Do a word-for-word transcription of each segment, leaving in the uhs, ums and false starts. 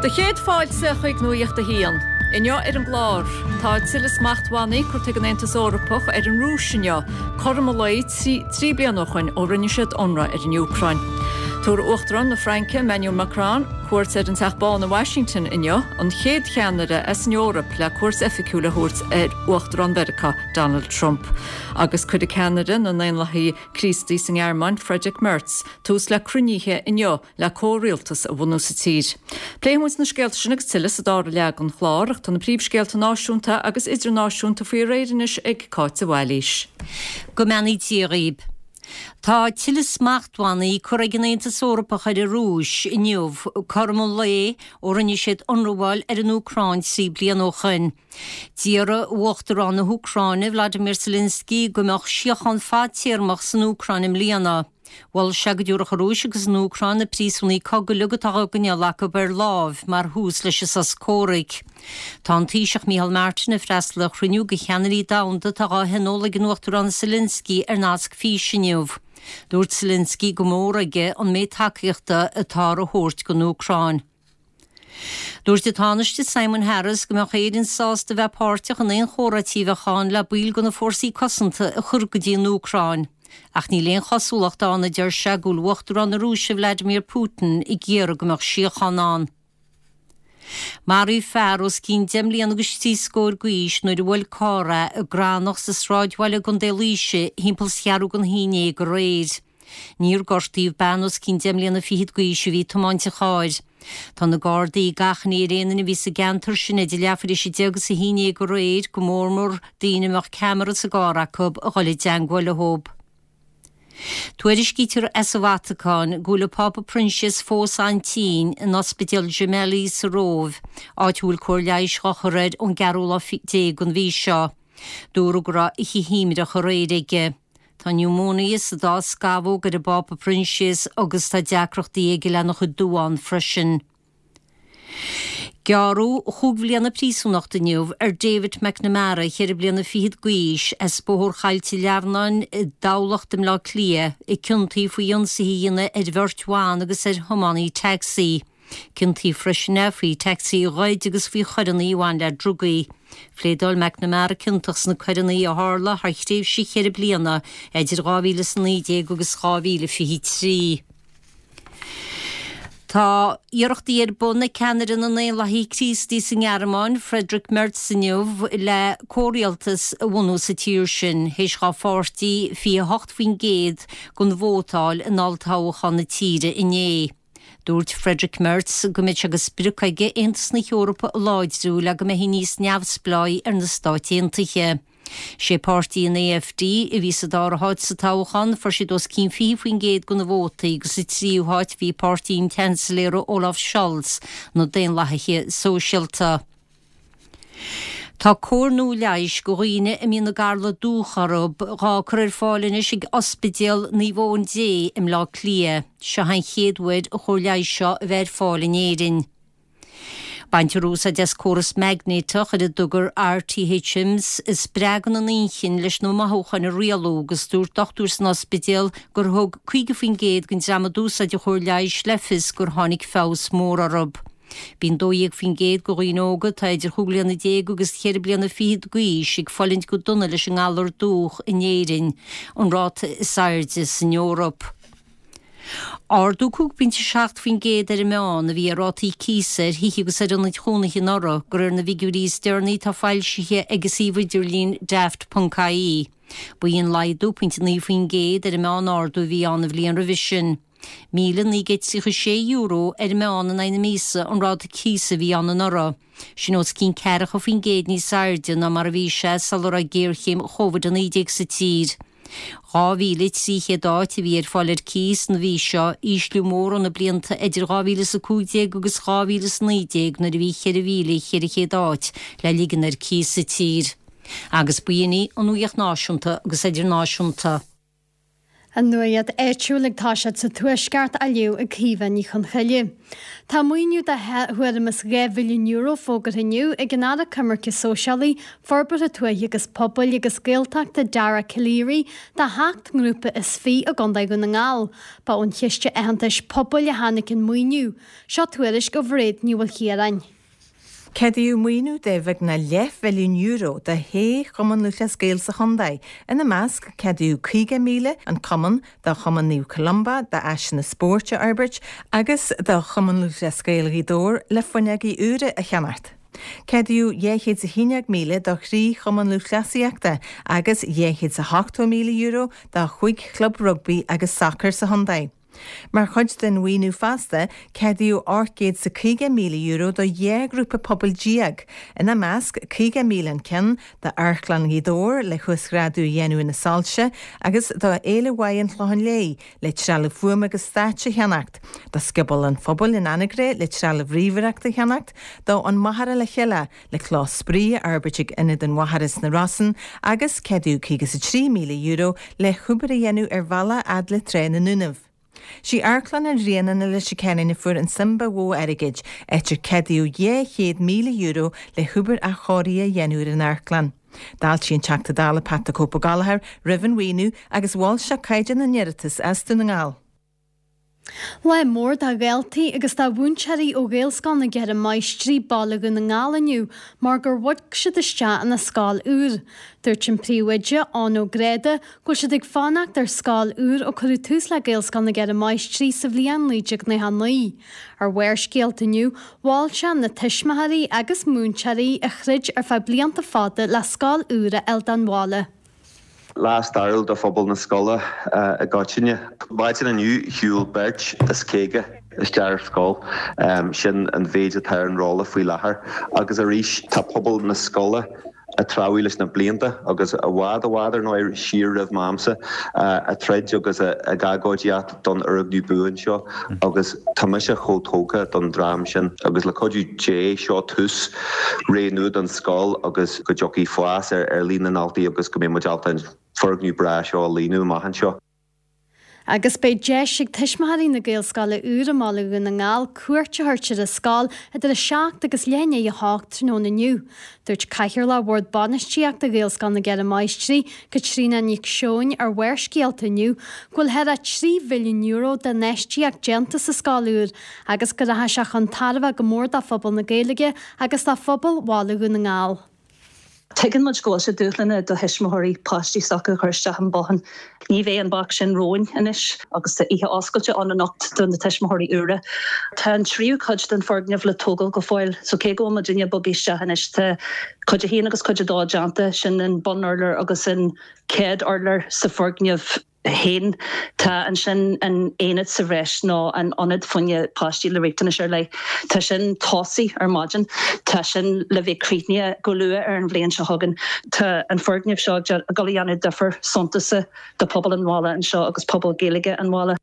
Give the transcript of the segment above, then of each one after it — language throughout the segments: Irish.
Do chéad fáilte chuig Nuacht a hAon. Inniu ar an gclár tá tuilleadh smachtbhannaí curtha ag an Aontas Eorpach ar an Rúis inniu, cothrom an lae trí bliana ó shin ó rinne siad ionradh ar an Úcráin. Tabharfaidh Uachtarán na Fraince Emmanuel Macron cuairt ar an Teach Bán i Washington inniu an chéad cheannaire as an Eoraip le cuairt oifigiúil a thabhairt ar Uachtarán Mheiriceá Donald Trump. Agus cuirfidh ceannaire na nDaonlathaithe Críostaí sa nGearmáin Friedrich Merz tús le cruinnithe inniu le comhrialtas a bhunú sa tír. Pléifidh muid na scéalta sin agus tuilleadh sa dara leath den chlár ach tá na príomhscéalta náisiúnta agus idirnáisiúnta faoi réir anois ag Cáit de Bhailís. Go mbeannaí Dia dhaoibh. Tá tuilleadh smachtbhannaí curtha ag an Aontas Eorpach ar an Rúis inniu cothrom an lae ó rinne siad ionramháil ar an Úcráin trí bliana ó shin. D'iarr Uachtarán na hÚcráine Vladimir Zelensky go mbeadh síocháin fadtéarmach san Úcráin i mbliana. Mhol sé go dtabharfadh an Rúis agus an Úcráin na príosúnaigh cogaidh atá á gcoinneáil acu ar láimh mar thús leis an sos comhraic. Tá an Taoiseach Micheál Martin ag freastal ar chruinniú de cheannairí domhanda atá á thionól ag an Uachtarán Zelensky ar nasc físe inniu. Dúirt Zelensky gur mór aige an méid tacaíochta atá á thabhairt don Úcráin. Dúirt an Tánaiste Simon Harris go mbeadh Éirinn sásta bheith páirteach in aon chomhráití a bheadh ann le baill de na fórsaí cosanta a chur go dtí an Úcráin. Ach níl aon chosúlacht ann a deir sé go bhfuil Uachtarán na Rúise Vladimir Putin ag iarraidh go mbeadh síocháin ann. Maraíodh fear os cionn deich mbliana agus trí scór d'aois nuair a bhuail carr é i gCrannach sa sráidbhaile i gContae Laoise timpeall is ceathrú don haon déag aréir. Níor gortaíodh bean os cionn deich mbliana fichead d'aois a bhí ag tiomáint an chairr. Tá na Gardaí ag achainí ar aon duine a bhí sa gceantar sin idir leathuair tar éis a deich agus a haon déag aréir go mór mór daoine a mbeadh ceamara sa gcarr acu a dhul i dteagmháil leo. Tuairiscítear as an Vatacáin go bhfuil an Pápa Proinsias fós an-tinn in Ospidéal Gemelli sa Róimh, áit a bhfuil cóir leighis á chur air ón gceathrú lá déag den mhí seo. Dúradh go raibh oíche shuaimhneach aréir aige. Tá niúmóinia sa dá scamhóg ar an bPápa Proinsias agus tá deacrachtaí aige lena chuid duán freisin. Gearradh chúig bhliana príosúnachta inniu ar David McNamara cheithre bliana fichead d'aois as Bóthar Choillte Leamhnáin i dTamhlacht i mBleá Cliath, a ciontaíodh faoi ionsaithe a dhéanamh ar bheirt bhan agus ar thiománaí tacsaí. Ciontaíodh freisin é faoi tacsaí a ghoid agus faoi choireanna a bhain le drugaí. Phléadáil McNamara ciontach sna coireanna a tharla thar thréimhse cheithre bliana idir dhá mhíle is a naoi déag agus dhá mhíle fiche trí. Tá iarrachtaí ar bun ag ceannaire na nDaonlathaithe Críostaí sa nGearmáin, Friedrich Merz inniu le comhrialtas a bhunú sa tír sin, théis dá pháirtí fiche hocht faoin gcéad den vóta a fháil in olltoghchán na tíre inné. Dúirt Friedrich Merz go mbeidh sé de sprioc aige Aontas na hEorpa a láidriú le go mbeidh níos neamhspleáí ar na Stáit Aontaithe. Sé páirtí an AfD a bhí sa dara háit sa toghchán, fuair siad os cionn fiche faoin gcéad de na vótaí agus sa tríú háit bhí páirtí an tSeansailéara Olaf Scholz, na Daonlathaithe Sóisialta. Tá cóir nua leighis do dhaoine a mbíonn an galar dúch orthu dhá cur ar fáil anois ag Ospidéal Naomh Eoin Dé i mBleá Cliath. Seo an chéad uair an chóir leighis seo a bheith ar fáil in Éirinn. Baintear úsáid as córas maighnéadach ar a dtugtar RTHMS a spreagann an inchinn leis na mothúcháin a rialú agus dúirt dochtúir san ospidéal gur thug caoga faoin gcéad den dream a d'úsáid an chóir leighis le fios gur tháinig feabhas mór orthu. Bíonn dó dhéag faoin gcéad de dhaoine óga atá idir chúig bliana déag agus cheithre bliana fichead d'aois ag fulaingt go dona leis an ngalar dúch in Éirinn, an ráta is airde san Eoraip. Ardú cúig pointe seacht faoin gcéad ar an meán a bhí ar rátaí cíosa ar thithe agus ar ionaid chónaithe anuraidh, de réir na bhfigiúirí is deireanaí atá foilsithe ag an suíomh idirlín daft.ie. Ba í an laghdú pointe naoi faoin gcéad ar an meán ardú a bhí ann an bhliain roimhe sin. Míle naoi gcéad tríocha sé euro ar an meán in aghaidh na míosa an ráta cíosa a bhí ann anuraidh. Sin os cionn ceathracha faoin gcéad níos airde ná mar a bhí sé sula raibh géarchéim Covid a naoi déag sa tír. Dhá mhíle trí chéad áit a bhí ar fáil ar cíos an mhí seo, ísliú mór ó na blianta idir dhá mhíle is a cúig déag agus dhá mhíle is a naoi déag nuair a bhí ceithre mhíle cheithre chéad áit le ligean ar cíos sa tír. Agus b'in í an nuacht náisiúnta agus idirnáisiúnta. An nuacht áitiúil ag toiseacht sa Tuaisceart á léamh ag Caoimhe Ní Chonchoille. Tá maoiniú de thuairim is dhá mhilliún euro fógartha inniu ag an Aire Coimirce Sóisialaí, Forbartha Tuaithe agus Pobail agus Gaeltachta Dara Calleary do sheacht ngrúpa is fiche i gContae Dhún na nGall. Ba ón Chiste Aitheantais Pobail a tháinig an maoiniú. Seo tuairisc ó Mhairéad Ní Mhaoilchiaráin. Ceadaíodh maoiniú de bheagnach leathmhilliún euro do shé Chumann Lúthchleas Gael sa chontae. Ina measc, ceadaíodh caoga míle an cumann do Chumann Naomh Columba d'áiseanna spóirt a fhorbairt agus do Chumann Lúthchleas Gael Ghaoth Dobhair le fuinneogaí úra a cheannacht. Ceadaíodh dhá chéad is a haon déag míle do thrí Chumann Lúthchleasaíochta agus dhá chéad is a hochtó míle euro do chúig chlub rugbaí agus sacair sa chontae. Mar chuid den mhaoiniú fosta, ceadaíodh ocht gcéad is caoga míle euro do dhá ghrúpa pobail déag, ina measc caoga míle an ceann d'Amharclann Ghaoth Dobhair le huasghrádú a dhéanamh ar na soilse agus do Fhéile Mhaith an Chlocháin Léith le trealamh fuaime agus stáitse a cheannacht, do Scioból an Phobail in Anagaire le trealamh ríomhaireachta a cheannacht, do An Machaire le Chéile le clós spraoi a fhorbairt ag Ionad an Mhachaire sna Rosann agus ceadaíodh caoga is a trí míle euro le hobair a dhéanamh ar bhealach fhad le Trá na nDúnaibh. Sí Amharclann an Bhriain i Leitir Ceanainn a fuair an tsuim ba mhó airgid, áit ar ceadaíodh dhá chéad míle euro le hobair athchóirithe a dhéanamh ar an amharclann. D'fháiltigh an Teachta Dála Pat the Cope Ó Gallchóir roimh an mhaoiniú agus mhol sé caighdeán na n-iarratas as Dún na nGall. Lá mór do dhaltaí agus do mhúinteoirí ó Ghaelscoil na gCeithre Máistrí, Baile Dhún na nGall inniu mar gur bhog siad isteach ina scoil úr. Dúirt an príomhoide, Eoin Ó Gráda, go bhfuil siad ag fanacht ar scoil úr ó cuireadh tús le Gaelscoil na gCeithre Máistrí sa bhliain naoi déag nócha a naoi. Ar Bharrscéalta inniu, mhol sé na tuismitheoirí agus múinteoirí a throid ar feadh blianta fada le scoil úr a fháil don bhaile. Lá stairiúil do phobal na scoile i gcoitinne. Maidin inniu shiúil beirt is caoga isteach ar scoil. Sin an mhéid atá ar an rolla faoi láthair. Agus arís tá pobal na scoile ag treabhadh leis na blianta agus i bhfad i bhfad ar ndóigh siar roimh m'amsa ag troid agus ag agóidíocht don fhoirgneamh buan seo agus tá mise chomh tógtha don dream sin agus le cuidiú Dé seo tús ré nua don scoil agus go dtiocfaidh fás ar ar líon na ndaltaí agus go mbeidh muid ábalta an foirgneamh breá seo a líonadh amach anseo. Agus beidh deis ag tuismitheoirí na Gaelscoile úr i mBaile Dhún na nGall cuairt a thabhairt ar an scoil idir a seacht agus leath i ndiaidh a hocht tráthnóna inniu. Dúirt Cathaoirleach Bhord Bainistíochta Ghaelscoil na gCeithre Máistrí, Caitríona Nic Seoin ar Bharrscéalta inniu go bhfuil thar trí mhilliún euro d'infheistíocht déanta sa scoil úr agus go rachaidh sé chun tairbhe go mór do phobal na Gaeilge agus do phobal Bhaile Dhún na nGall. Tuigeann muid go bhfuil sé dúshlánach do thuismitheoirí páistí s'acu a chur isteach i mbothán. Ní bheidh an bac sin romhainn anois agus tá oíche oscailte ann anocht do na tuismitheoirí úra. Tá an tríú cuid den foirgneamh le tógáil go fóill, so cé go bhfuil muidinne bogtha isteach anois tá cuid a haon agus cuid a dó déanta, sin an bunurlár agus an chéad urlár sa foirgneamh féin. Tá ansin an aonad sa bhreis nó an ionad fá choinne páistí le riachtanais ar leith. Tá sin tosaithe ar maidin. Tá sin le bheith críochnaithe go luath ar an bhliain seo chugainn. Tá an foirgneamh seo ag dul a dhéanamh difear suntasach do phobal an bhaile anseo agus pobal Gaeilge an bhaile.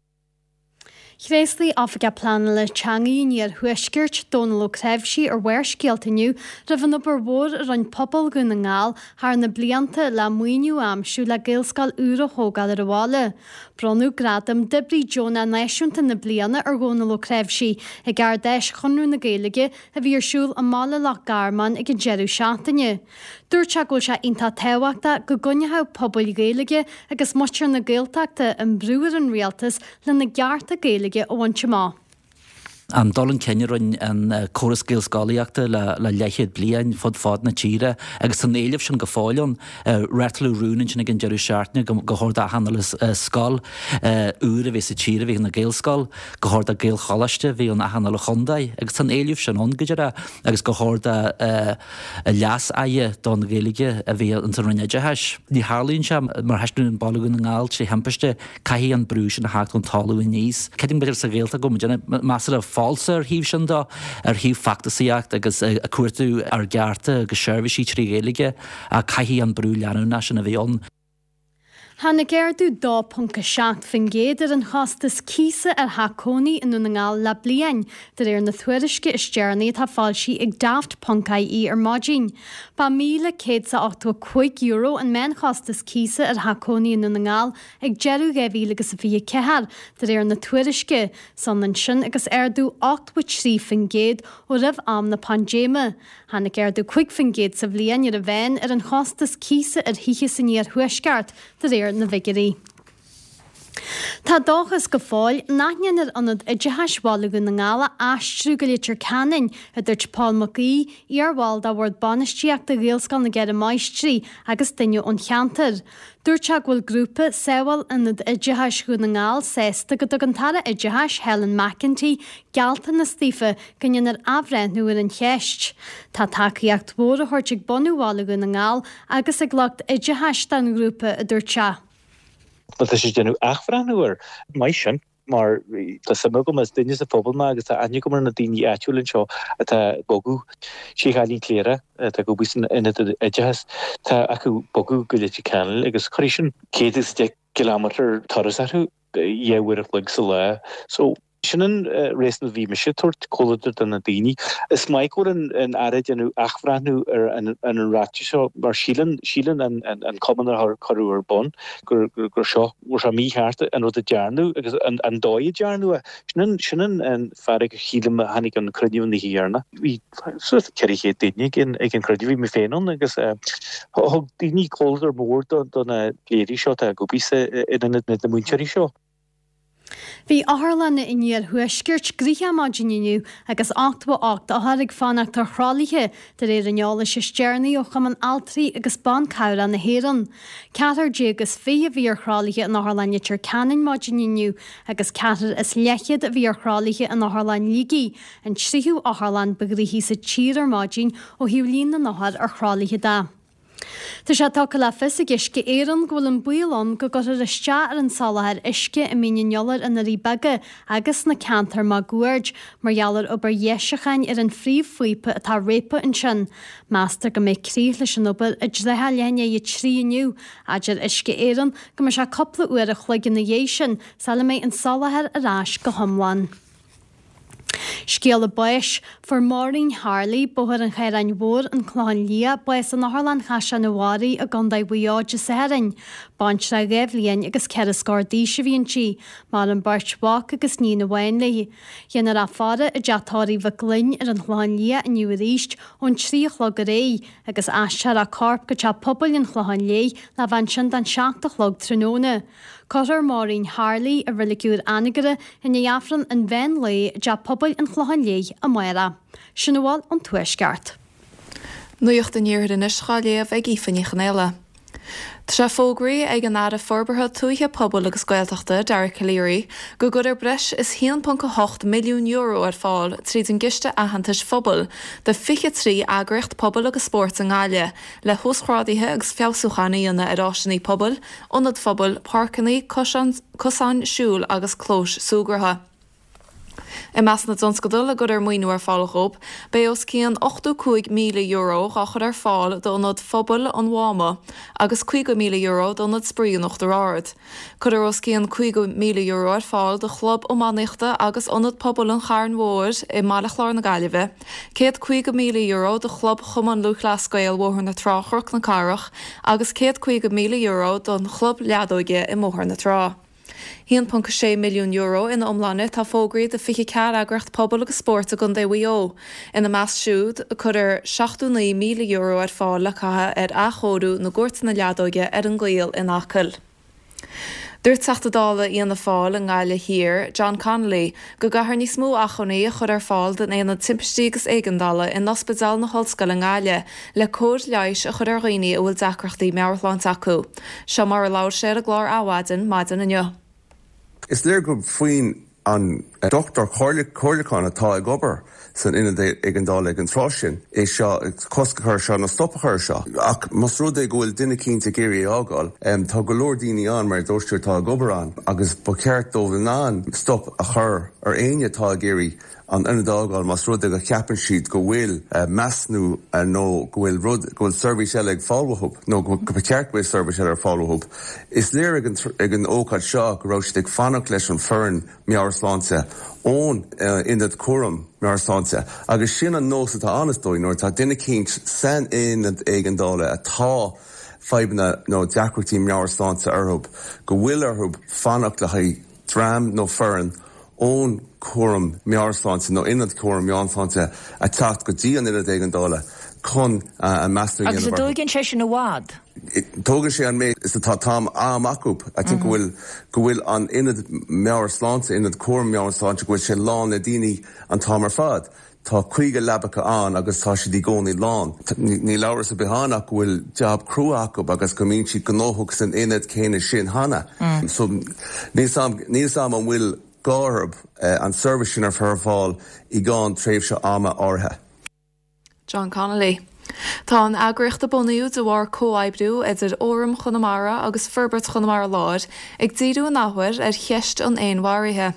Thréaslaigh Oifigeach Pleanála Teanga an Iarthuaiscirt, Dónal Ó Creabhsí ar Bharrscéalta inniu roimh an obair mhór a rinne pobal Dhún na nGall thar na blianta le maoiniú a aimsiú le Gaelscoil úr a thógáil ar an bhaile. Bronnadh gradam d'Oibrí Deonach Náisiúnta na Bliana ar Dhónal Ó Creabhsí ag Ard-Fheis Chonradh na Gaeilge a bhí ar siúl i mBaile Loch Garman ag an deireadh seachtaine. Dúirt sé go bhfuil sé iontach tábhachtach go gcoinneodh pobail Ghaeilge agus muintir na Gaeltachta an brú ar an rialtas lena gcearta Gaeilge a bhaint amach. An dul chun cinn a rinne an córas Gaelscolaíochta le le leathchéad bliain fud fad na tíre agus an éileamh sin go fóill ann. Reáchtáladh rún ansin ag an deireadh seachtaine go chóir d'achan uile scoil úr a bheith sa tír a bheith ina Gaelscoil, gur chóir do Gaelcholáiste a bheith in achan uile chontae agus tá an éileamh sin ann go dearfa agus gur chóir do leas-aire don Ghaeilge a bheith ins an Roinn Oideachais. Ní tharlaíonn sé mar thaispeánann an Baile Dhún na nGall trí thimpiste, caithfidh an brú sin a theacht ón talamh aníos. Creidim b'fhéidir sa Ghaeltacht go bhfuil muid measartha falsa ar thaobh sin de, ar thaobh feachtasaíocht agus ag cuartú ár gcearta agus seirbhísí trí Ghaeilge ach caithfidh an brú leanúnach sin a bheith ann. Tháinig ardú dó ponc a seacht faoin gcéad ar an chostas cíosa ar theach cónaí i nDún na nGall le bliain, de réir na tuairisce is deireanaí atá foilsithe ag Daft ponc ie ar maidin. Ba míle céad is a ochtó a cúig euro an meánchostas cíosa ar theach cónaí i nDún na nGall ag deireadh dhá mhíle agus a fiche ceathair, de réir na tuairisce. Is ionann sin agus ardú ochtó a trí faoin gcéad ó roimh am na paindéime. Tháinig ardú cúig faoin gcéad sa bhliain ar an mheán ar an chostas cíosa ar thithe san iarthuaisceart, de réir na bhfigiúirí. Tá dóchas go fóill nach ndéanfar Ionad Oideachais Bhaile Dhún na nGall a aistriú go Leitir Ceanainn, a dúirt Paul Mac Aoidh, iarbhall de Bhord Bainistíochta Ghaelscoil na gCeithre Máistrí agus duine ón cheantar. Dúirt sé go bhfuil grúpa Sábháil Ionad Oideachais Dhún na nGall sásta go dtug an tAire Oideachais, Helen McEntee, gealltanas daofa go ndéanfar athbhreithniú ar an cheist. Tá tacaíocht mhór á thabhairt ag bunú Bhaile Dhún na nGall agus ag lucht oideachais don ghrúpa, a dúirt sé. Má tá sé ag déanamh athbhreithniú air, maith sin, mar tá suim agam, is duine sa phobal mé agus tá aithne agam ar na daoine áitiúla anseo atá ag bogadh. Sé chailín Cléire atá ag obair san ionad oideachais, tá acu bogadh go Leitir Ceanainn agus cuirfidh sin céad is deich gcileámetar turas orthu dhá uair a chloig sa lá. So. Sin an réasún a bhí mise ag tabhairt comhluadar do na daoine. Is maith go bhfuil an Aire ag déanamh athbhreithniú ar an ráiteas seo mar síleann síleann an cumann a cuireadh ar bun gur gur seo go raibh sé mícheart an rud a dearnadh agus an dóigh a dearnadh é. Sin an sin an fearg a shílim a tháinig ón cruinniú an oíche dheireanach. Bhí suas le ceithre chéad duine ag an ag an cruinniú, bhí mé féin ann agus thug daoine comhluadar mór do na pléirí seo atá ag obair sa in ionad na múinteoirí seo. Bhí otharlanna an iarthuaiscirt gnoitheach maidin inniu agus ochtó a ocht othar ag fanacht ar thralaithe, de réir an eolais is deireanaí ó Chumann Altraí agus Ban Cabhrach na hÉireann. Ceathrar déag is fiche a bhí ar thralaithe in Otharlann Leitir Ceanainn maidin inniu agus ceathrar is leathchéad a bhí ar thralaithe in Otharlann Shligigh, an tríú otharlann ba ghnoithí sa tír ar maidin ó thaobh líon na n-othar ar thralaithe de. Tá sé tugtha le fios ag Uisce Éireann go bhfuil an baol ann go gcuirfear isteach ar an soláthar uisce i Mín an Iolair i nDoirí Beaga agus sna ceantair máguaird mar gheall ar obair dheisiúcháin ar an phríomhphíopa atá réabtha ansin. Meastar go mbeidh críoch leis an obair i dtrátha leath i ndiaidh a trí inniu. Adeir Uisce Éireann go mbeidh sé cúpla uair a chloig ina dhiaidh sin sula mbeidh an soláthar ar ais go hiomlán. Scéala báis, Fuair Maureen Harley, Bóthar an Chaoráin Mhóir, An Clochán Liath, bás in Otharlann Chaisleán an Bharraigh i gContae Mhaigh Eo Dé Sathairn. Baintreach dhá bhliain agus ceithre scór d'aois a bhí inti. Maireann beirt mhac agus níon amháin léi. Déanfar í a faire i dteach tórraimh Mhic Gloinn ar an Chlochán Liath inniu arís ón trí a chlog ar aghaidh agus aistreofar a corp go Teach Pobail an Chlocháin Léith le bheith ansin don seacht a chlog tráthnóna. Cuirfear Maureen Harley i Reilig Úr Anagaire i ndiaidh Aifreann an mheán lae i dTeach Pobail an Chlocháin Léith amárach. Sin a bhfuil ón Tuaisceart. Nuacht an Iarthair anois dhá léamh ag Aoife Ní Chonaola. Tá sé fógraithe ag an Aire Forbartha Tuaithe, Pobail agus Gaeltachta, Dara Calleary, go gcuirfear breis is haon ponc a hocht milliún euro ar fáil tríd an gCiste Aitheantais Phobail do fiche trí eagraíocht pobail agus spóirt i nGaillimh le huasghráduithe agus feabhsúcháin a dhéanamh ar áiseanna pobail, ionaid phobail, páirceanna, cosáin siúil agus clóis súgartha. I measc na dtionscadal a gcuirfear maoiniú ar fáil dhóibh, beidh os cionn ochtó cúig míle euro dhá chur ar fáil d'Ionad Phobail an Mháma agus caoga míle euro d'Ionad Spraoi an Uachtar Ard. Cuirfear os cionn caoga míle euro ar fáil do Chlub Iománaíochta agus Ionad Pobail an Chairn Mhóir i mBaile Chláir na Gaillimhe, céad caoga míle euro do Chlub Chumann Lúthchleas Gael Bhóthar na Trá Chnoc na Cathrach agus céad caoga míle euro don Chlub Leadóige i mBóthar na Trá. haon ponc sé milliún euro ina iomláine atá fógraithe do fiche ceathair eagraíocht pobail agus spóirt i gContae Mhaigh Eo. Ina measc siúd, cuirfear seachtó naoi míle euro ar fáil le caitheamh ar athchóiriú na gcúirteanna leadóige ar an gCoill in Acaill. Dúirt Teachta Dála Fhianna Fáil i nGaillimh Thiar, John Connolly, go gcaithfear níos mó acmhainní a chur ar fáil don Aonad Timpistí agus Éigeandála in Ospidéal na hOllscoile i nGaillimh le cóir leighis a chur ar dhaoine a bhfuil deacrachtaí meabhairshláinte acu. Seo mar a labhair sé ar an gclár Adhmhaidin maidin inniu. Is léir go faoin an dochtúir comhairliúcháin atá ag obair san ionad éigeandála ag an tráth sin é seo cosc a chur seo nó stop a chur seo. Ach más rud é go bhfuil duine eicínt ag iarraidh é fhágáil, tá go leor daoine ann mar a dúirt tú atá ag obair ann agus ba cheart dóibh in ann stop a chur ar éinne atá ag iarraidh an ionad a fhágáil más rud é go cheapann siad go bhfuil measúnú nó go bhfuil rud go bhfuil seirbhís eile ag fáil uathu nó go ba cheart go bhfuil seirbhís eile ar fáil uathu. Is léir ag an ag an ócáid seo go raibh siad ag fanacht leis an foireann meabhairshláinte ón ionad cúram meabhairshláinte agus sin an nós atá ann is dóigh nuair atá duine eicínt san ionad éigeandála atá fadhbanna nó deacrachtaí meabhairshláinte orthu go bhfuil orthu fanacht le haghaidh dream nó foireann ón cúram meabhairshláinte nó ionad cúram meabhairshláinte a teacht go dtí an ionad éigeandála chun an measúnú a Agus dhéanamh an orthu. dtógann sé sin i bhfad? Tógann sé an méid is atá tam am acu. I think go bhfuil go bhfuil an ionad meabhairshláinte, ionad cúram meabhairshláinte go bhfuil sé lán le daoine an t-am ar fad. Tá caoga leabacha ann agus tá siad i gcónaí lán. Níl amhras ar bith ann ach go bhfuil jab crua acu agus go mbíonn siad gnóthach san ionad céanna sin cheana. So níl a fhios agam an bhfuil gá orthu an seirbhís sin a chur ar fáil i gceann tréimhse ama áirithe. John Connolly. Tá an eagraíocht a bunaíodh de bharr comhoibriú idir Fhóram Chonamara agus Forbairt Chonamara Láir ag díriú an athuair ar cheist an fhéinmharaithe.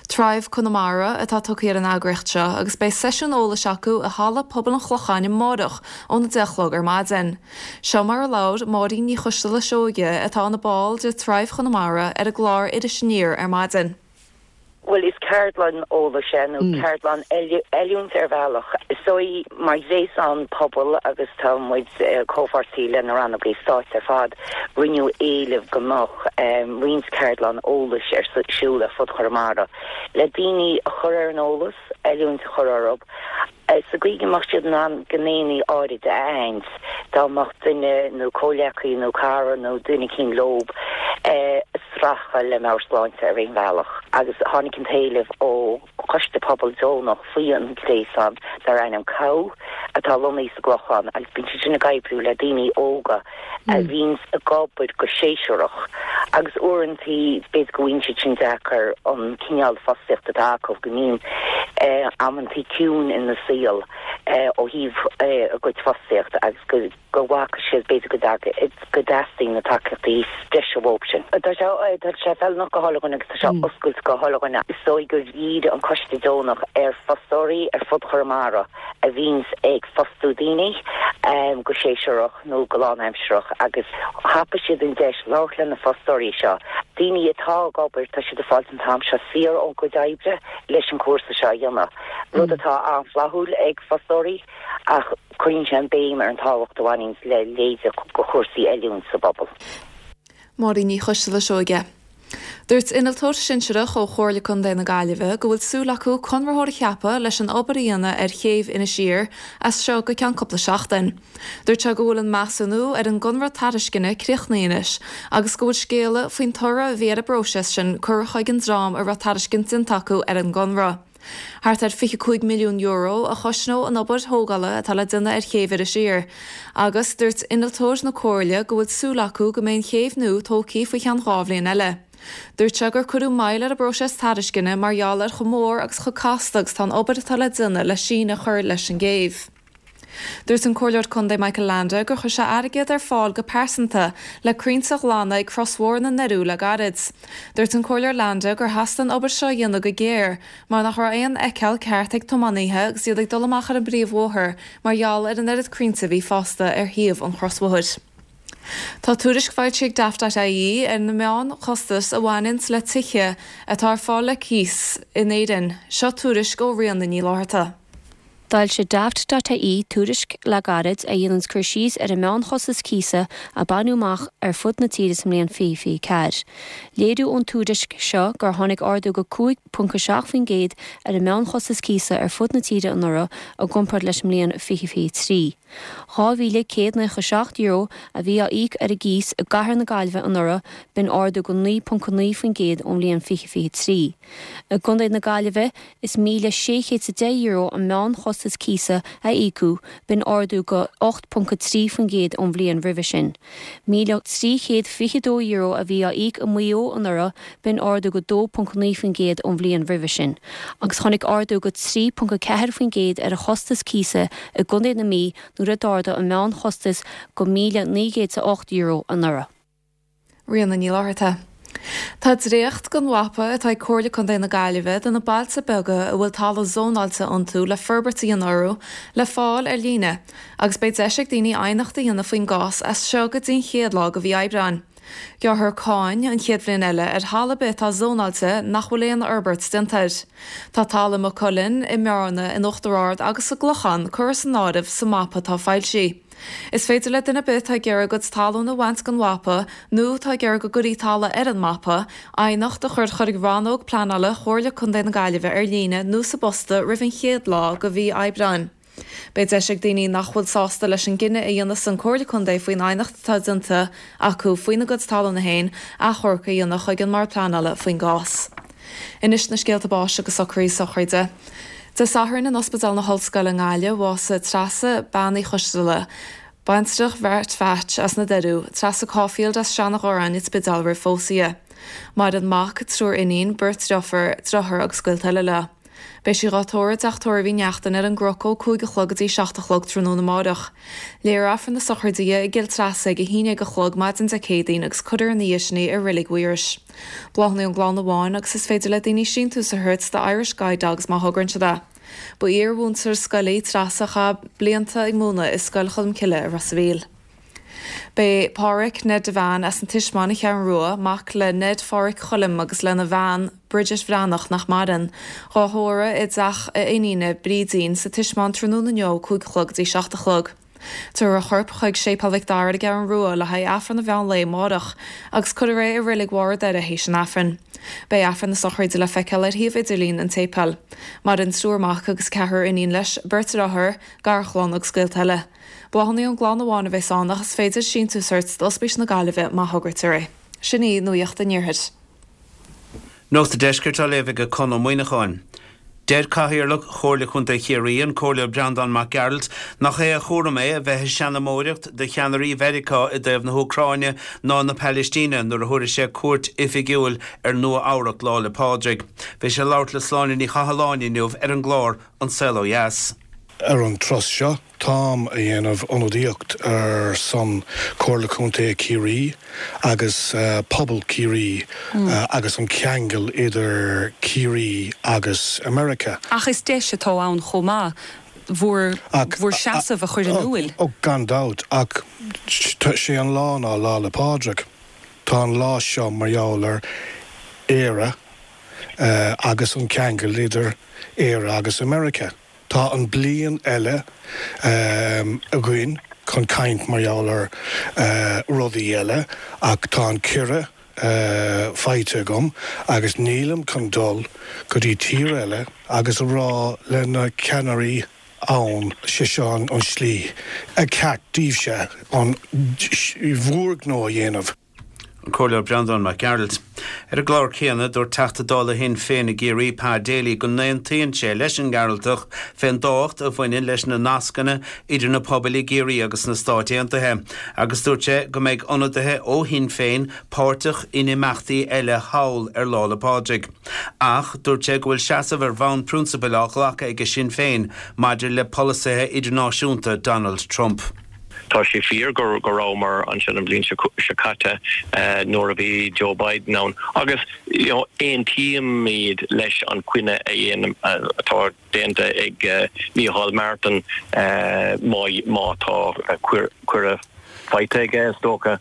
Thrive Conamara atá tugtha ar an eagraíocht seo agus beidh seisiún eolais acu i halla Pobal an Chlocháin amárach óna deich a chlog ar maidin. Seo mar a labhair Máirín Ní Choisteala Seoige atá ina ball de Thrive Chonamara ar an gclár Iris Aniar ar maidin. Well is ceardlann eolais é nó ceardlann oiliúint ar bhealach. Is dóigh mar ghréasán pobail agus tá muid comhpháirtí le na rannógaí stáit ar fad rinneadh éileamh go mbeadh roinnt ceardlann eolais ar siúl ar fud Chonamara le daoine a chur ar an eolas, oiliúint a chur orthu. Sa gcaoi go mbeadh siad in ann gnéanna áirid a aithint dá mbeadh duine nó comhghleacaí nó cara nó duine eicínt leo ag streachailt le meabhairshláinte ar aon bhealach agus tháinig an t-éileamh ó choiste pobal deonach faoi an gréasán dar ainm COW atá lonnaithe sa gClochán agus bíonn siad sin ag oibriú le daoine óga a bhíonn ag obair go séasúrach agus uaireanta b'fhéidir go bhfaigheann siad sin deacair an cineál fostaíocht atá acu go mbíonn amantaí ciúin ina saol ó thaobh a gcuid fostaíocht agus go go bhfaca siad b'fhéidir go go dteastaíonn na tacaíochtaí breise uathu sin. Tá sé tá sé feiliúnach do chuile dhuine agus tá sé oscailte do chuile dhuine. Is dóigh gur dhírigh an coiste deonach ar fostóirí ar fud Chonamara a bhíonns ag fostú daoine um, go séasúrach nó go lánaimsearach agus thapaigh siad an deis labhairt le na fostóirí seo. Daoine atá ag obair tá siad ag fáil an t-am seo saor ón gcuid oibre leis an cúrsa seo a dhéanamh. Rud atá an-fhlaithiúil ag fostóirí ach cuireann sé an béim ar an tábhacht a bhaineann le leithéid de chúrsaí oiliúint sa bpobal. Máirín Ní Choisteala Seoige. Dúirt innealtóir sinsearach ó Chomhairle Contae na Gaillimhe go bhfuil súil acu conraitheoir a cheapadh leis an obair a dhéanamh ar chéibh Inis Oírr as seo go ceann cúpla seachtain. Dúirt sé go bhfuil an measúnú ar an gconradh tairisceana críochnaithe anois, agus go bhfuil scéala faoin toradh a bhí ar an bpróiseas sin curtha chuig an dream a raibh tairiscint déanta acu ar an gconradh. Thart ar fiche cúig milliún euro a chosnóidh an obair thógála atá le déanamh ar chéibh Inis Oírr, agus dúirt innealtóir na Comhairle go bhfuil súil acu go mbeidh an chéibh nua tógtha faoi cheann dhá bhliain eile. Dúirt sé gur cuireadh moill ar an bpróiseas tairisceana mar gheall ar chomh mór agus chomh casta agus tá an obair atá le déanamh le síneadh a chur leis an gcéibh. Dúirt an Comhairleoir Contae Michael Leainde gur chuir sé airgead ar fáil go pearsanta le crainnte a ghlanadh ag Crosbhóthar na nDoirí le gairid. Dúirt an Comhairleoir Leainde gur theastaigh an obair seo a dhéanamh go géar, mar nach raibh aon fheiceáil ceart ag tiománaithe agus iad ag dul amach ar an bpríomhbhóthar mar gheall ar an oiread crainnte a bhí fásta ar thaobh an chrosbhóthair. Tá tuairisc foilsithe ag Daft.ie ar na meánchostais a bhaineann le tithe atá ar fáil le cíos in Éirinn, seo tuairisc ó Ríona Ní Fhlatharta. D'fhoilsigh Daft.ie tuairisc le gairid a dhéanann cur síos ar an meánchostas cíosa a baineadh amach ar fud na tíre sa mbliain fiche fiche ceathair. Léiriú ón tuairisc seo gur tháinig ardú go cúig ponc a seacht faoin gcéad ar an meánchostas cíosa ar fud na tíre anuraidh i gcomparáid leis an mbliain fiche fiche trí. Dhá mhíle céad nócha seacht euro a bhí á íoc ar an gcíos i gcathair na Gaillimhe anuraidh b'in ardú go naoi ponc naoi faoin gcéad ón mbliain fiche fiche trí. I gContae na Gaillimhe is míle sé chéad is a deich euro an meánchostas chostas cíosa a íocadh, b'in ardú go ocht ponc a trí faoin gcéad ón bhliain roimhe sin. míle trí chéad fiche dó euro a bhí á íoc i Maigh Eo anuraidh, b'in ardú go dó ponc naoi faoin gcéad ón bhliain roimhe sin. Agus tháinig ardú go trí ponc a ceathair faoin gcéad ar an chostas cíosa i gContae na Mí nuair a d'ardaigh an meánchostas go míle naoi gcéad is a ocht euro anuraidh. Ríona Ní Fhlatharta. Tá dréacht den mhapa atá ag Comhairle Contae na Gaillimhe de na bailte beaga a bhfuil talamh zónáilte iontu le forbairt a dhéanamh orthu le fáil ar líne agus beidh deis ag daoine aighneacht a dhéanamh faoin gcás as seo go dtí an chéad lá de mhí Aibreáin. Gearrfar cáin an chéad bhliain eile ar thalamh ar bith atá zónáilte nach bhfuil aon fhorbairt déanta air. Tá talamh i Maigh Cuilinn, i mBearna, in Uachtar Ard agus sa gClochán curtha san áireamh sa mapa atá foilsithe. Is féidir le duine ar bith atá ag iarraidh a gcuid talún a bhaint den mhapa nó atá ag iarraidh go gcuirfí talamh ar an mapa, aighneacht a chur chuig Rannóg Pleanála Chomhairle Contae na Gaillimhe ar líne nó sa bpost roimh an chéad lá de mhí Aibreáin. Beidh deis ag daoine nach bhfuil sásta leis an gcinneadh a dhéanfas an Comhairle Contae faoin aighneacht atá déanta acu faoina gcuid talún féin achomharc a dhéanamh chuig an mBord Pleanála faoin gcás. Anois na scéalta báis agus socraí sochraide. Dé Sathairn in Ospidéal na hOllscoile i nGaillimh, bhásaigh Treasa Bean Uí Choisteala, baintreach Bheairtle Pheait as na Doiriú, Treasa Caulfield as Seanadh Ghoráin, an Spidéal roimh phósadh di. Maireann mac, triúr iníon, beirt deirfiúr, deartháir agus gaolta eile léi. Beidh sí dhá tórramh i dteach tórraimh Uí Neachtain ar an gCnoc ó cúig a chlog go dtí seacht a chlog tráthnóna amárach. Léifear Aifreann na sochraide di i gCill Treasa ag a haon déag a chlog maidin Dé Céadaoin agus cuirfear ina dhiaidh sin í i Reilig Mhaorais. Bláthanna ón gclann amháin agus is féidir le daoine síntiús a thabhairt do Irish Guide Dogs má thograíonn siad é. Ba iar-mhúinteoir scoile í Treasa a chaith blianta ag múineadh i Scoil Cholmcille i Ros a' Mhíl. B'é Pádhraic Ned Devane as an Tismeáin an Cheathrú Rua, mac le Ned Phádhraic Choilm agus lena bhean, Bridget Bhreathnach, nach maireann, dhá thórramh i dteach a iníne, Brídín, sa Tismeáin tráthnóna inniu ó cúig a chlog go dtí seacht a chlog. Tabharfar a chorp chuig Séipéal Mhic Dara ar an gCeathrú Rua le haghaidh Aifreann an mheán lae amárach, agus cuirfear é i Reilig Bharr an Doire théis an Aifrinn. Beidh Aifreann na sochraide le feiceáil ar shuíomh idirlín an tséipéil. Maireann triúr mac agus ceathrar iníon leis, beirt deartháir, garchlann agus gaolta eile. Bláthanna ón gclann amháin a bheas ann ach is féidir síntiús a thabhairt d'Ospís na Gaillimhe má thograítear é. Sin í Nuacht an Iarthair. Nuacht an Deiscirt á léamh ag Conn Ó Muíneacháin. Deir Cathaoirleach Chomhairle Chontae Chiarraí, an Comhairleoir Breandán Mac Gearailt, nach é a chúram é a bheith ag seanmóireacht do cheannairí Mheiriceá i dtaobh na hÚcráine ná na Palaistíne nuair a thabharfaidh sé cuairt oifigiúil ar Nua Eabhrac Lá 'le Pádraig. Bhí sé ag labhairt le Sláine Ní Chathalláin inniu ar an gclár An Saol Ó Dheas. Ar an turas seo, táim a dhéanamh ionadaíocht ar son Comhairle Contae Chiarraí agus pobal Chiarraí agus an ceangal idir Ciarraí agus America. Ach is deis atá ann chomh maith bhur bhur seasamh a chur in iúil. Ó, gan dabht, ach sé an lá ná Lá 'le Pádraig. Tá an lá seo mar gheall ar Éire agus an ceangal idir Éire agus America. Tá an bliain eile againn chun caint mar gheall ar rudaí eile ach tá an cuireadh faighte agam agus nílim chun dul go dtí tír eile agus a rá le na ceannairí ann sé seo an slí ceart daoibhse an bhur ngnó a dhéanamh. An Comhairleoir Breandán Mac Gearailt. Ar an gclár céanna, dúirt Teachta Dála Shinn Féin i gCiarraí, Pa Daly, go n-aontaíonn sé leis an nGearaltach fén dtábhacht a bhaineann leis na nascanna idir na pobail i gCiarraí agus sna Stáit Aontaithe agus dúirt sé go mbeidh ionadaithe ó Shinn Féin páirteach in imeachtaí eile thall ar Lá 'le Pádraig. Ach dúirt sé go bhfuil seasamh ar bhonn prionsabail á ghlacadh aige Sinn Féin maidir le polasaithe idirnáisiúnta Donald Trump. Tá sé fíor go rabhamar ansin an bhliain seo caite nuair a bhí Joe Biden ann agus you know aontaímid leis an gcinneadh a dhéanamh atá déanta ag Micheál Martin má tá cuireadh faighte aige is dócha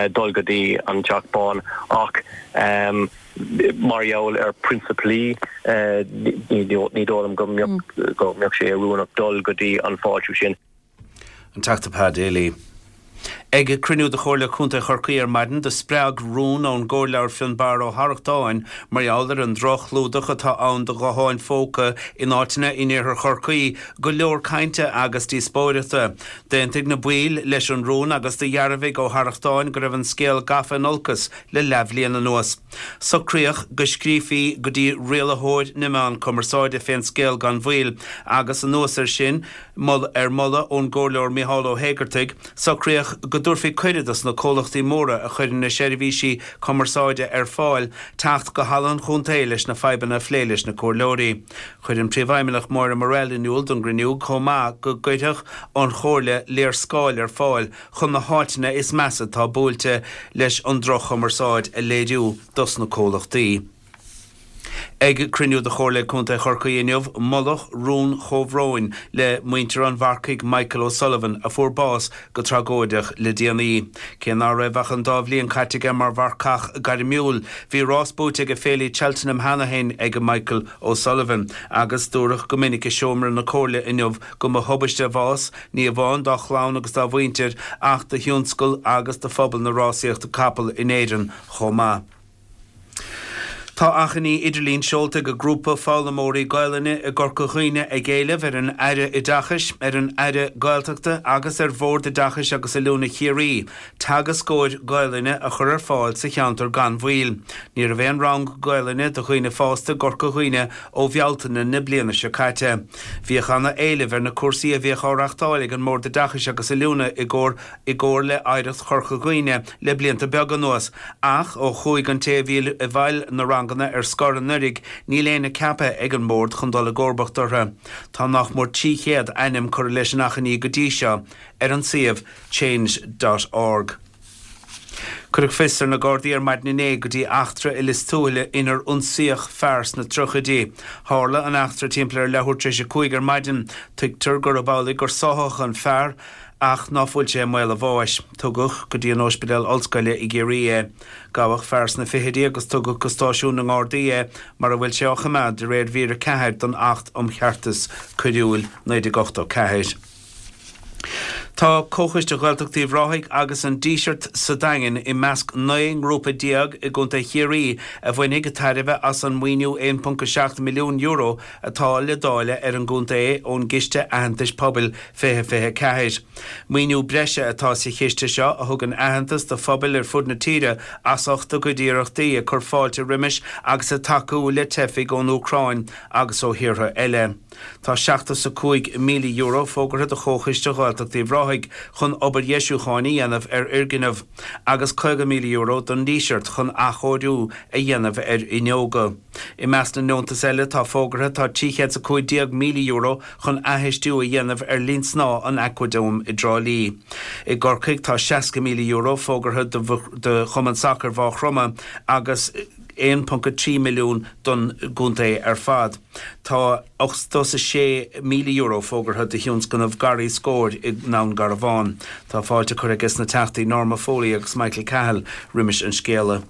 dul go dtí an Teach Bán ach mar gheall ar phrionsapailí ní dóigh liom go mbeadh sé oiriúnach dul go dtí an fáiltiú sin. An Teachta Pa Daly. Ag cruinniú de Chomhairle Contae Chorcaí ar maidin, do spreag rún ón gComhairleoir Fionnbarra Ó hArrachtáin mar gheall ar an droch-chlúdach atá ann do ghutháin phóca in áiteanna in iarthar Chorcaí go leor cainte agus díospóireachta. D'aontaigh na baill leis an rún agus do dhearbhaigh Ó hArrachtáin go raibh an scéal gafa in olcas le leathbhliain anuas. Socraíodh go scríofaí go dtí rialaitheoir na meán cumarsáide fén scéal gan mhoill agus anuas air sin, ar mholadh ón gComhairleoir Micheál Ó hÉigeartaigh, socraíodh go dtabharfaí cuireadh dos na comhlachtaí móra a chuireann na seirbhísí cumarsáide ar fáil teacht go Halla an Chontae leis na fadhbanna a phlé leis na comhairleoirí. Chuir an Príomhfheidhmeannach Máire Morrell in iúl don gcruinniú chomh maith go gcuirfeadh an Chomhairle léarscáil ar fáil chun na háiteanna is measa atá buailte leis an droch-chumarsáid a léiriú dos na comhlachtaí. Ag cruinniú de Chomhairle Contae Chorcaí inniu, moladh rún chomhbhróin le muintir an mharcaigh Michael O'Sullivan a fuair bás go tragóideach le déanaí. Cé ná raibh ach an dá bhliain caite aige mar mharcach gairmiúil, bhí rás buaite ag féile Cheltenham cheana féin ag Michael O'Sullivan agus dúradh go minic i seomra na Comhairle inniu go mba thubaiste a bhás, ní amháin dá chlann agus dá mhuintir ach do thionscal agus do phobal na rásaíochta capall in Éirinn chomh maith. Tá achainí idirlín seolta ag grúpa foghlaimeoirí Gaelainne i gCorca Dhuibhne ag éileamh ar an Aire Oideachais, ar an Aire Gaeltachta agus ar Bhord Oideachais agus Oiliúna Chiarraí teagascóir Gaelainne a chur ar fáil sa cheantar gan mhoill. Ní raibh aon rang Gaelainne do dhaoine fásta i gCorca Dhuibhne ó Bhealtaine na bliana seo caite. Bhíodh ana éileamh ar na cúrsaí a bhíodh á reachtáil ag an mBord Oideachais agus Oiliúna i gcomhar i gcomhar le Oidhreacht Chorca Dhuibhne le blianta beaga anuas ach ó chuaigh an té a bhí i bhfeighil na ranganna ar scor anuraidh níl éinne ceaptha ag an mBord chun dul i gcomharbacht orthu. Tá nach mór trí chéad ainm curtha leis an achainí go dtí seo ar an suíomh change dot org. Cuireadh fios ar na Gardaí ar maidin inné go dtí eachtra i Lios Tuathail inar ionsaíodh fear sna tríochaidí. Tharla an eachtra timpeall ar leathuair tar éis a cúig ar maidin. Tuigtear gurb amhlaidh gur sáthadh an fear ach ná fuil sé i mbaol a bháis. Tugadh go dtí an Ospidéal Ollscoile i gCiarraí é. Gabhadh fear sna fichidí agus tugadh go stáisiún na nGardaí é mar a bhfuil sé á choimeád de réir mhír a ceathair den Acht um Cheartas Coiriúil naoi déag ochtó ceathair. Tá Comhchoiste Ghaeltacht Uíbh Ráthaigh agus an Díseart sa Daingean i measc naoi ngrúpa déag i gContae Chiarraí a bhainfidh tairbhe as an maoiniú aon ponc a seacht milliún euro atá le dáileadh ar an gcontae ón gCiste Aitheantais Pobail fiche fiche a ceathair. Maoiniú breise atá sa chiste seo a thugann aitheantas do phobail ar fud na tíre as ucht a gcuid iarrachtaí ag cur fáilte roimis agus ag tacú le teifigh ón Úcráin agus ó thíortha eile. Tá seachtó 's a cúig míle euro fógartha do Chomhchoiste Ghaeltacht Uíbh Ráthaigh chun obair dheisiúcháin a dhéanamh ar fhoirgneamh agus caoga míle euro don Díseart chun athchóiriú a dhéanamh ar fhuinneoga. I measc na ndeontas eile atá fógartha tá trí chéad 's a cúig déag míle euro chun athfheistiú a dhéanamh ar linn snámha an Aquadome i dTrá Lí. I gCorcaigh tá seasca míle euro fógartha do Chumann Sacair Mhaigh Chromtha agus aon ponc a trí milliún don gcontae ar fad. Tá ochtó 's a sé míle euro fógartha do thionscnamh Garraí Scóir i nDún Garbhán. Tá fáilte curtha aige na Teachtaí Norma Foley agus Michael Cahill roimis an scéala.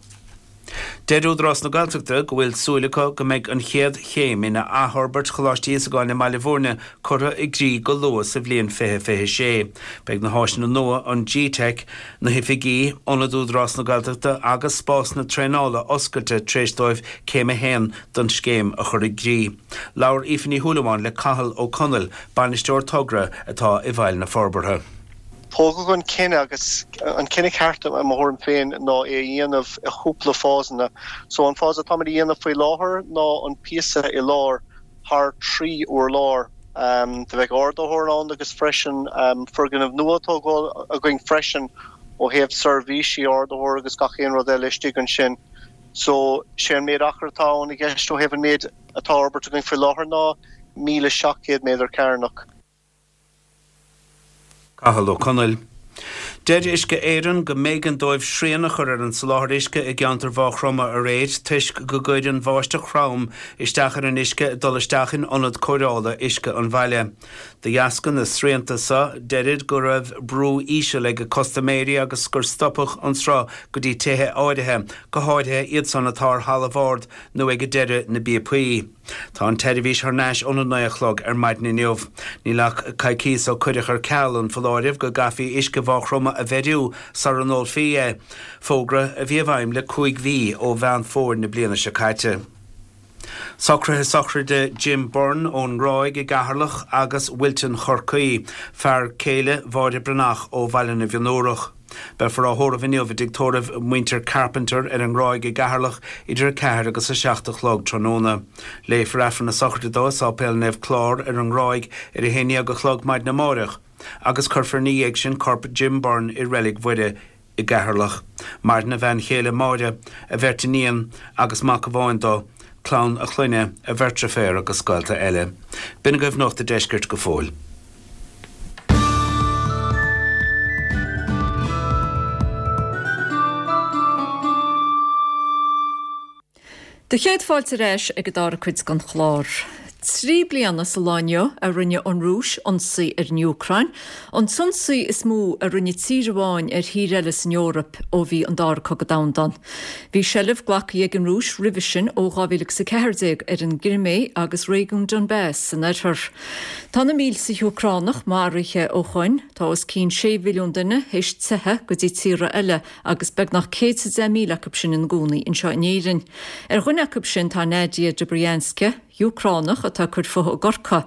Deir Údarás na Gaeltachta go bhfuil súil acu go mbeidh an chéad chéim in athfhorbairt Choláiste Íosagáin i mBaile Bhúirne curtha i gcrích go luath sa bhliain fiche fiche sé. Beidh na háiseanna nua, an G-Teic, na hoifigí, Ionad Údarás na Gaeltachta agus spásanna traenála oscailte tar éis dóibh céim a haon den scéim a chur i gcrích. Labhair Aoife Ní Shúilleabháin le Cathal Ó Conaill, Bainisteoir Togra atá i bhfeighil na forbartha. Tógadh an cinneadh agus an cinneadh ceart i mo thuairim féin ná é a dhéanamh i chúpla fásanna. So an fás atáimid a dhéanamh faoi láthair ná an píosa i lár thar trí urlár. Do bheadh ardaitheoir ann agus freisin foirgneamh nua á tógáil againn freisin ó thaobh seirbhísí ardaitheoir agus gach aon rud eile istigh ansin. So sé an méid achar atá ann i gceist ó thaobh an méid atá á fhorbairt againn faoi láthair ná míle seacht gcéad méadar cearnach. Cathal Ó Conaill. Deir Uisce Éireann go mb'éigean dóibh srian a chur ar an soláthar uisce i gceantar Mhaigh Chromtha aréir toisc go gcuir an bháisteach throm isteach ar an uisce ag dul isteach in ionad cóireála uisce an bhaile. De dheasca na srianta seo, deirid go raibh brú íseal ag custaiméirí agus gur stopadh an sruth go dtí tithe áirithe, go háirithe iad san atá ar thalamh ard nó ag deireadh na bpíopaí. Tá an tseirbhís thar n-ais óna naoi a chlog ar maidin inniu. Níl ach coicíos ó cuireadh ar ceal an foláireamh go gcaithfí uisce Mhaigh Chromtha ama a mhéadú sara n-ólfaí é, fógra a bhí i bhfeidhm le cúig mhí ó Mheán Fómhair na bliana seo caite. Socruithe sochraide Jim Byrne ón nGráig i gCeatharlach agus Wilton Chorcaí, fear céile Mháire Breathnach ó Bhaile na bhFionnúrach. Beifear á thórramh inniu i dtigh tórraimh mhuintir Carpenter ar an nGráig i gCeatharlach idir a ceathair agus a seacht a chlog tráthnóna. Léifear Aifreann na sochraide dó i Sáipéal Naomh Clár ar an nGráig ar a haon dhéag a chlog maidin amáireach agus cuirfear ina dhiaidh sin corp Jim Byrne i Reilig Mhuire i gCeatharlach. Maireann a bhean chéile Máire, a bheirt iníon agus mac amháin dó, clann a chlainne, a bheirt deirféar agus gaolta eile. B'in agaibh Nuacht an Deiscirt go fóill. Do chéad fáilte ar ais ag an dara cuid den chlár. Trí bliana sa lá inniu a rinne an Rúis ionsaí ar an Úcráin, an t-ionsaí is mó a rinne tír amháin ar thír eile san Eoraip ó bhí an Dara Cogadh Domhanda ann. Bhí seilbh glactha ag an Rúis roimhe sin ó dhá mhíle agus a ceathair déag ar an gCrimé agus réigiún Donbas san oirthear. Tá na mílte Úcránach maraithe ó shoin, tá os cionn sé mhilliún duine théis teitheadh go dtí tíortha eile agus beagnach céad is a deich míle acu sin ina gcónaí anseo in Éirinn. Ar dhuine acu sin tá Nadia Dobrianska, Úcránach atá ag cur fúithi i gCorcaigh.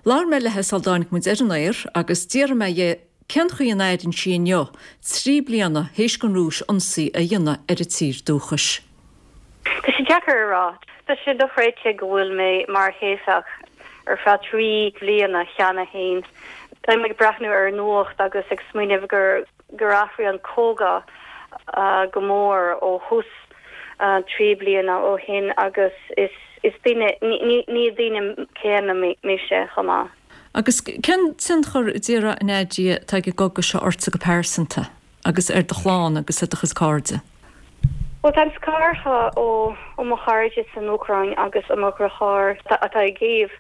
Labhair mé léi sula dtáinig muid ar an aer agus d'fhiafraigh mé dhi cén chaoi a n-airíonn sí inniu, trí bliana théis don Rúis ionsaí a dhéanamh ar a tír dúchais. Tá sé deacair a rá. Tá sé dochreidte go bhfuil mé mar theifeach ar feadh trí bliana cheana féin. Táim ag breathnú ar an nuacht agus ag smaoineamh gur gur athraigh an cogadh go mór ó thús trí bliana ó shin agus is is duine, ní ní duine céanna mise chomh maith. Agus cén tionchar a déarfá, a Nadia, atá ag an gcogadh seo ortsa go pearsanta agus ar do chlann agus ar do chuid cairde? Bhuel, táim scartha ó ó mo chairde san Úcráin agus ó mo dheartháir atá i gCív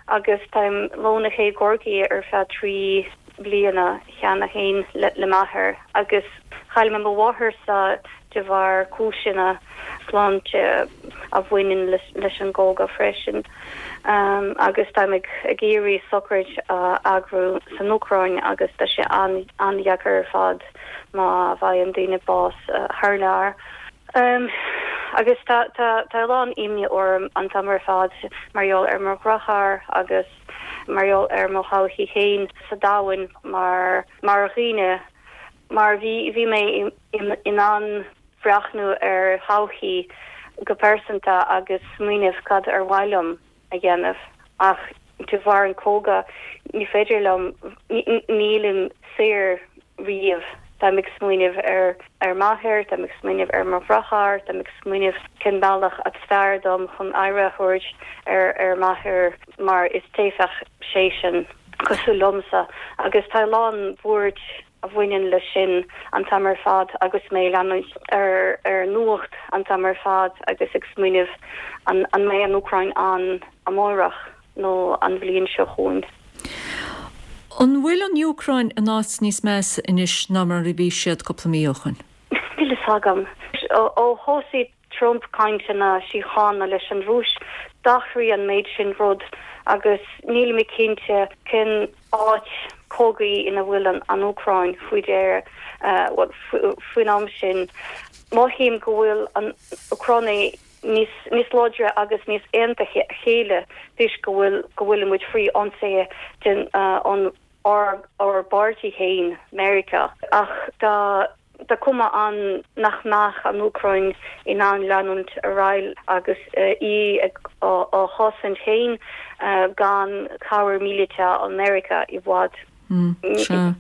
agus táim lonnaithe i gCorcaigh ar feadh trí bliana cheana féin le m'athair agus chaill mé mo mháthair-sa de bharr cúiseanna sláinte a bhaineann leis an gcogadh freisin agus táim ag iarraidh sochraid a eagrú san Úcráin agus tá sé an-deacair ar fad má bhfaigheann daoine bás thar lear. Agus tá a lán imní orm an t-am ar fad mar gheall ar mo dheartháir agus mar gheall ar mo thodhchaí féin sa domhan mar mar dhaoine mar bhí bhí mé in ann breathnú ar thodhchaí go pearsanta agus smaoineamh cad ar mhaith liom a dhéanamh ach de bharr an cogadh ní féidir liom nílim saor riamh. Táim ag smaoineamh ar ar m'athair, táim ag smaoineamh ar mo dheartháir, táim ag smaoineamh cén bealach is fearr dom chun aire a thabhairt ar ar m'athair mar is teifeach seisean cosúil liomsa agus tá a lán buairt a bhaineann leis sin an t-am ar fad agus mé ag leanúint ar ar nuacht an t-am ar fad agus ag smaoineamh an an mbeidh an Úcráin ann amárach nó an bhliain seo chugainn. An bhfuil an Úcráin in áit níos measa anois ná mar a bhí siad cúpla mí ó shoin? Níl fhios agam. Ó thosaigh Trump cainteanna síochána leis an Rúis, d'athraigh an méid sin rud agus níl mé cinnte cén áit cogaidh ina bhfuil an Úcráin faoi deireadh, bhuel, faoin am sin. Mothaím go bhfuil an Úcránaigh níos níos láidre agus níos aontaithe a chéile toisc go bhfuil go bhfuilimid faoi ionsaí den ón ár ár bpáirtí féin, Meiriceá. Ach tá tá cuma ann nach mbeadh an Úcráin in ann leanúint ar aghaidh agus í ag á chosaint féin gan cabhair míleata ó Mheiriceá i bhfad. Sea.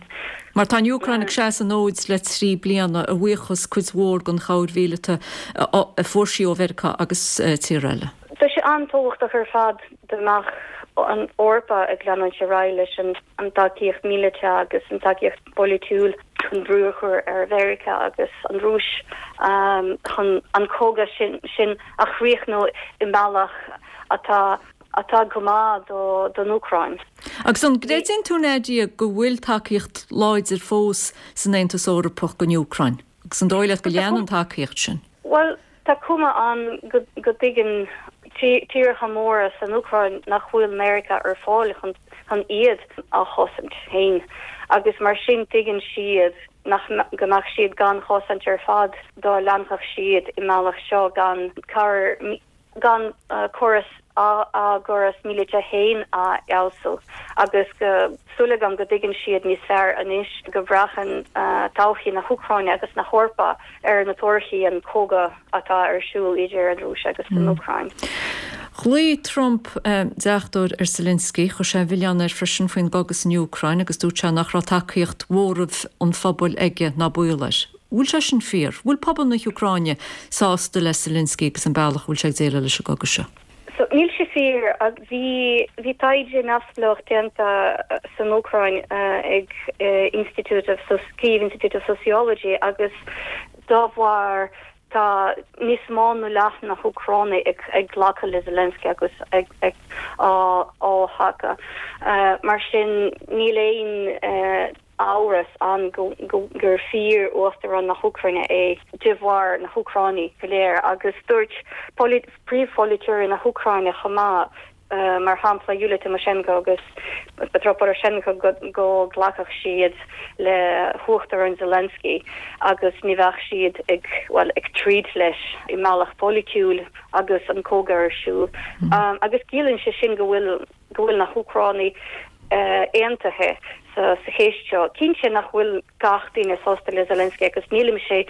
Mar tá an Úcráin ag seasamh an fhóid le trí bliana, a bhuíochas cuid mhór den chabhair mhíleata a fuair sí ó Mheiriceá agus tíortha eile. Tá sé an-tábhachtach ar fad go mbeadh an Eoraip ag leanúint ar aghaidh leis an tacaíocht míleata agus an tacaíocht pholaitiúil chun brú a chur ar Mheiriceá agus an Rúis chun an cogadh sin a chríochnú i mbealach atá atá go maith don Úcráin. Agus an gcreideann tú, Nadia, go bhfuil tacaíocht láidir fós san Aontas Eorpach don Úcráin? Agus an dóigh leat go leanfaidh an tacaíocht sin? Bhuel, tá cuma ann go dtuigeann tíortha móra san Úcráin nach bhfuil Meiriceá ar fáil chun iad a chosaint féin agus mar sin tuigeann siad nach go mbeadh siad gan chosaint ar fad dá leanfadh siad i mbealach seo gan cabhair gan córas a gcóras míleata féin a fheabhsú agus go súil agam go dtuigeann siad níos fearr anois go mbraitheann todhchaí na hÚcráine agus na hEorpa ar na torthaí an cogadh atá ar siúl idir an Rúis agus an Úcráin. Ghlaoigh Trump deachtóir ar Zelensky, chuir sé an milleán air freisin faoin gcogadh san Úcráin agus dúirt sé nach raibh tacaíocht mhóramh an phobail aige ná baol air. Bhfuil sé sin fíor? Bhfuil pobal na hÚcráine sásta le Zelensky agus an bealach a bhfuil sé ag déileáil leis an gcogadh seo? So níl sé fíor ach bhí bhí taighde neamhspleách déanta san Úcráin ag Institute of Kyiv Institute of Sociology agus dá bharr tá níos mó ná leath na hÚcránaigh ag ag glacadh le Zelensky agus ag ag á á thacú. Mar sin níl aon amhras ann go gur fíor uachtarán na hÚcráine é de bharr na hÚcránaigh go léir agus dúirt príomhpholaiteoirí na hÚcráine chomh maith, mar shampla Yulia Tymoshenko agus Petro Poroshenko go nglacfadh siad le huachtarán Zelensky agus ní bheadh siad ag bhuel ag troid leis i mbealach polaitiúil agus an cogadh ar siúl. Agus ciallaíonn sé sin go bhfuil go bhfuil na hÚcránaigh aontaithe sa cheist seo. Cinnte nach bhfuil gach duine sásta le Zelensky agus nílimse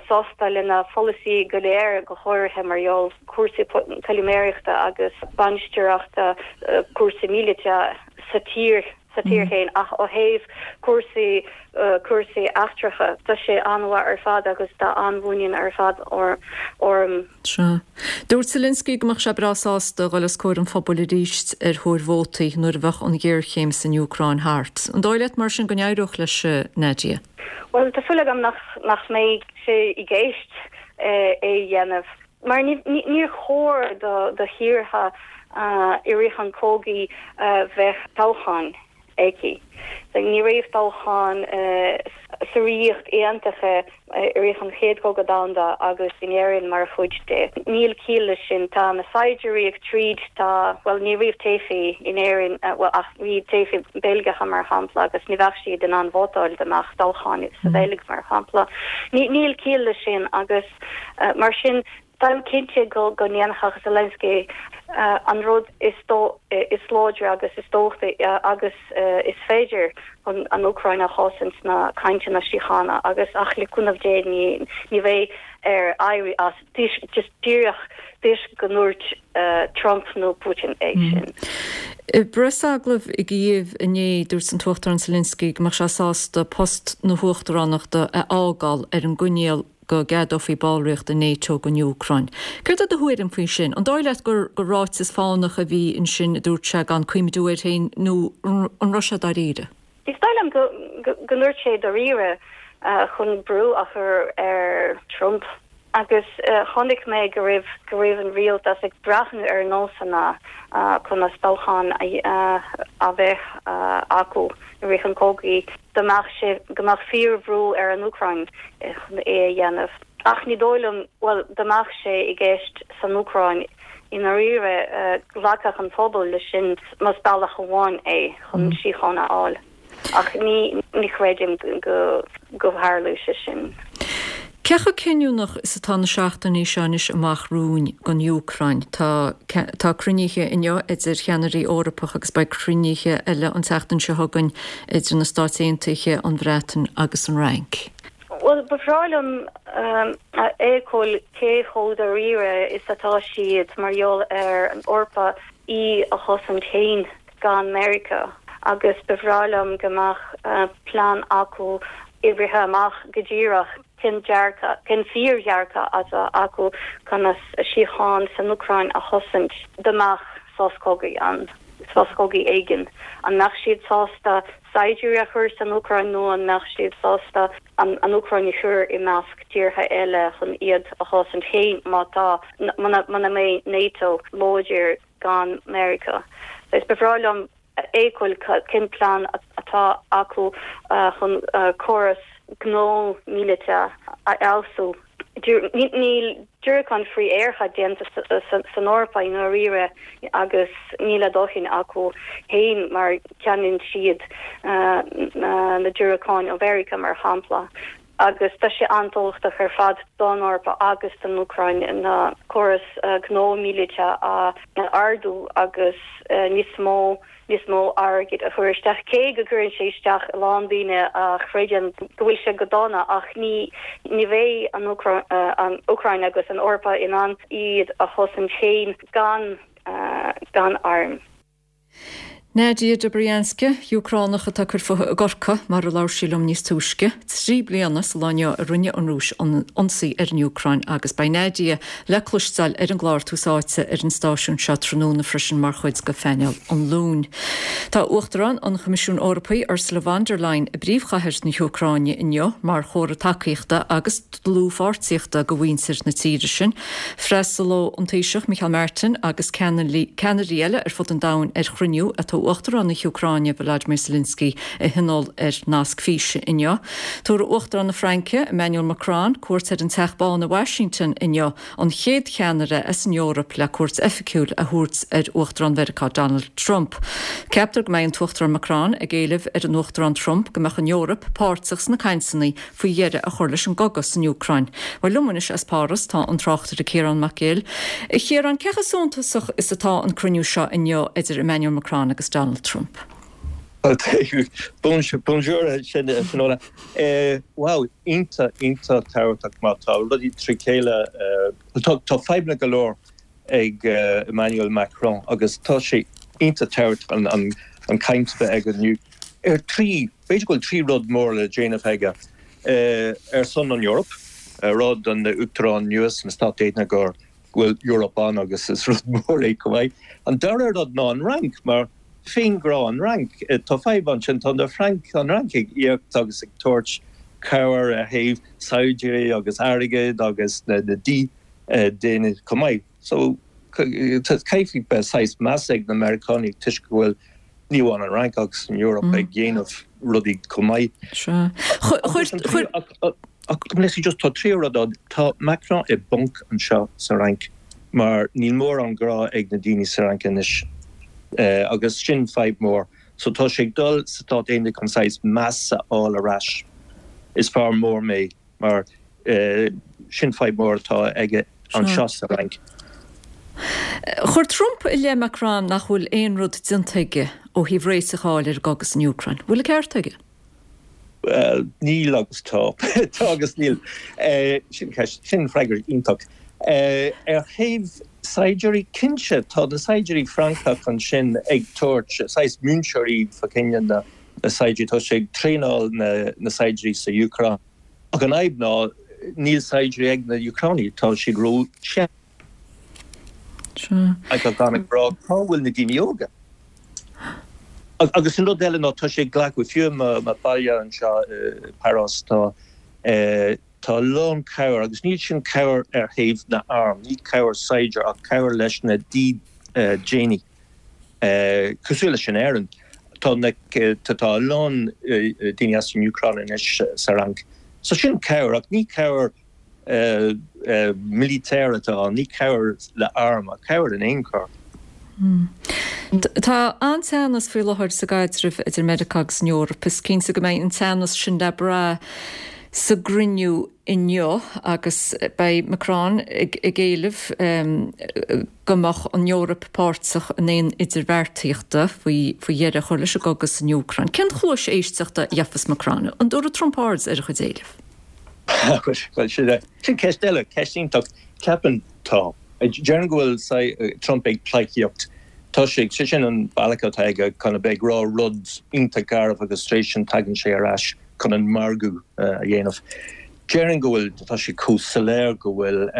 sásta lena pholasaí go léir, go háirithe mar gheall cúrsaí caimiléireachta agus bainistíochta cúrsaí míleata sa tír sa tír féin ach ó thaobh cúrsaí cúrsaí eachtracha tá sé an-mhaith ar fad agus tá an-mhuinín ar fad orm. Sea. Dúirt Zelensky go mbeadh sé breá sásta dhul os comhair an phobail arís ar thóir vótaí nuair a bheadh an ghéarchéim san Úcráin thart. An dóigh leat mar sin go n-éireodh leis, Nadia? Bhuel, tá súil agam nach nach mbeidh sé i gceist é a dhéanamh. Mar níor chóir do do thíortha i rith an chogaidh bheith toghcháin aici. Ní raibh toghchán sa Ríocht Aontaithe i rith an Chéad Chogadh Domhanda agus in Éirinn mar chuid de. Níl ciall leis sin. Tá na saighdiúirí ag troid, tá, bhuel ní raibh teifigh in Éirinn, bhuel ach bhí teifigh Beilgeacha mar shampla agus ní bheadh siad in ann vótáil dá mbeadh toghchán sa Bheilg mar shampla. Níl ciall leis sin agus mar sin Táim cinnte go go ndéanfadh Zelensky an rud is is láidre agus is dóichí agus is féidir chun an Úcráin a chosaint sna cainteanna síochána agus ach le cúnamh Dé ní ní bheidh air éirí as just díreach toisc go ndúirt Trump nó Putin é sin. I bpreasagallamh i gCív inné dúirt an tUachtarán Zelensky go mbeadh sé sásta post na huachtaránachta a fhágáil ar an gcoinníoll go gceadófaí ballraíocht i NATO don Úcráin. Céard é do thuairim faoi sin? An dóigh leat gur gur ráiteas fánach a bhí ansin a dúirt sé gan cuimhniú air féin nó an raibh sé dáiríre? Is dóigh liom go go ndúirt sé dáiríre chun brú a chur ar Trump agus chonaic mé go raibh go raibh an rialtas ag breathnú ar nósanna conas toghchán a bheith acu i rith an chogaidh. Dá mbeadh sé, go mbeadh fíorbhrú ar an Úcráin chun é a dhéanamh. Ach ní dóigh liom, bhuel, dá mbeadh sé i gceist san Úcráin, i ndáiríre, glacfadh an pobal leis sin más bealach amháin é chun síocháin a fháil. Ach ní, ní chreidim go, go dtarlódh sé sin. Cé chomh cinniúnach is atá na seachtainí seo anois amach romhainn don Úcráin? Tá tá cruinnithe inniu idir cheannairí Eorpacha agus beidh cruinnithe eile an tseachtain seo chugainn idir na Stáit Aontaithe, an Bhreatain agus an Fhrainc. Bhuel, ba bhreá liom a fheiceáil cé chomh dáiríre is atá siad mar gheall ar an Eorpa í a chosaint féin gan Meiriceá agus ba bhreá liom go mbeadh plean acu oibrithe amach go díreach cén dearcadh, cén fíordhearcadh atá acu conas síocháin san Úcráin a chosaint dá mbeadh sos cogaidh ann, sos cogaidh éigin. An mbeadh siad sásta saighdiúirí a chur san Úcráin nó an mbeadh siad sásta an Úcráin a chur i measc tíortha eile chun iad a chosaint féin má tá, muna mbeidh NATO láidir gan Meiriceá. Is ba bhreá liom a fheiceáil cén plean atá acu chun córas gnó míleata a fheabhsú Níl diúracáin frith-aeracha déanta san Eoraip i ndáiríre agus níl a dóthain acu féin mar ceannaíonn siad na diúracáin ó Mheiriceá mar shampla agus tá sé an-tábhachtach ar fad don Eoraip agus don Úcráin na córas gnó míleata a ardú agus níos mó níos mó airgid a chur isteach, cé go gcuireann sé isteach a lán daoine a chreideann go bhfuil sé go dona ach ní ní bheidh an an Úcráin agus an Eoraip in ann iad a chosaint féin gan gan airm. Nadia Dobrianska, Úcránach atá ag cur fúithi i gCorcaigh, mar a labhair sí liom níos túisce, trí bliana sa lá inniu a rinne an Rúis ionsaí ar an Úcráin agus beidh Nadia le cloisteáil ar an gclár Tús Áite ar an stáisiún seo tráthnóna freisin mar chuid de phainéal an Luain. Tá Uachtarán an Choimisiúin Eorpaigh Ursula von der Leyen i bpríomhchathair na hÚcráine inniu mar chomhartha tacaíochta agus dlúthpháirtíochta do mhuintir na tíre sin. Freastalóidh an Taoiseach Micheál Martin agus ceannairí eile ar fud an domhain ar chruinniú atá Uachtarán na hÚcráine Volodymyr Zelensky a thionól ar nasc físe inniu. Tabharfaidh Uachtarán na Fraince, Emmanuel Macron, cuairt ar an Teach Bán i Washington inniu, an chéad cheannaire as an Eoraip le cuairt oifigiúil a thabhairt ar Uachtarán Mheiriceá Donald Trump. Ceaptar go mbeidh an tUachtarán Macron ag éileamh ar an Uachtarán Trump go mbeadh an Eoraip páirteach sna cainteanna faoi dheireadh a chur leis an gcogadh san Úcráin. Bhuel, liom anois as Páras tá an tráchtaire Ciarán Mac Gill. A Chiaráin, cé chomh suntasach is atá an cruinniú seo inniu idir Emmanuel Macron agus Donald Trump? Bonjour Finola. Wow, iontach, iontach tábhachtach mar tá rudaí trí chéile, tá fadhbanna go leor ag Emmanuel Macron agus tá sé iontach tábhachtach an an caint a bheith aige inniu ar trí, b'fhéidir go bhfuil trí rud mór le déanamh aige ar son an Eoraip, rud an Uachtarán nua sna Stáit Aontaithe gur go bhfuil Eoraip ann agus is rud mór é chomh maith. An dara rud ná an Fhrainc mar féinghrá an Fhrainc. Tá fadhb ansin, tá na Frainc, an Fhrainc ag íoc agus ag tabhairt cabhair ar thaobh saighdiúirí agus airgead agus na dídeanaithe chomh maith. So caithfidh beith saghas meas ag na Meiriceánaigh toisc go bhfuil ní amháin an Fhrainc agus an Eoraip ag déanamh rudaí chomh maith. Sea. Chuir. Ach just tá tríú rud ann, tá Macron i bponc anseo sa Fhrainc mar níl mórán grá ag na daoine sa Fhrainc anois agus sin fadhb mór. So tá sé ag dul sa Stát Aontaithe chun saghas meas a fháil ar ais. Is fear mór mé mar sin fadhb mór atá aige anseo sa Fhrainc. Chuir Trump i leith Macron nach bhfuil aon rud déanta aige ó thaobh réiteach a fháil ar an gcogadh san Úcráin. Bhfuil an ceart aige? Bhuel, níl agus tá. Tá agus níl. Sin ceist, sin freagra iontach. Ar thaobh saighdiúirí, cinnte, tá na saighdiúirí Francach ansin ag tabhairt, saghas múinteoirí fá choinne na saighdiúirí, tá sé ag traenáil na saighdiúirí sa Úcráin. Ach an fhadhb ná níl saighdiúirí ag na Úcránaigh, tá siad ró-shean. Ag gan ag rá cá bhfuil na daoine óga? Agus an rud eile ná tá sé ag glacadh, fiú i mo bhaile anseo i bPáras tá tá a lán cabhair agus níl sin cabhair ar thaobh na arm, ní cabhair saighdiúir ach cabhair leis na dídeanaithe. Cosúil leis in Éirinn tá na tá a lán daoine as an Úcráin anois sa Fhrainc. So sin cabhair ach ní cabhair military atá ann, ní cabhair le arm ach cabhair in aon chor. Tá an-teannas faoi láthair sa gcaidreamh idir Meiriceá agus an Eoraip. Is cinnte go mbeidh an teannas sin le brath sa gcruinniú inniu agus beidh Macron ag éileamh go mbeadh an Eoraip páirteach in aon idirbheartaíochta faoi dheireadh a chur leis an gcogadh san Úcráin. Cén chluais éisteachta a gheofas Macron? An dtabharfaidh Trump aird ar a chuid éileamh? Bhuel, sin ceist eile, ceist iontach. Ceapaim tá. Déarfainn go bhfuil Trump ag pleidhcíocht. Tá sé, sé sin an bealach atá aige chun a bheith ag rá rud iontach garbh agus tar éis sin tagann sé ar ais chun an margadh a dhéanamh. Déarfainn go bhfuil, tá sé chomh soiléir go bhfuil,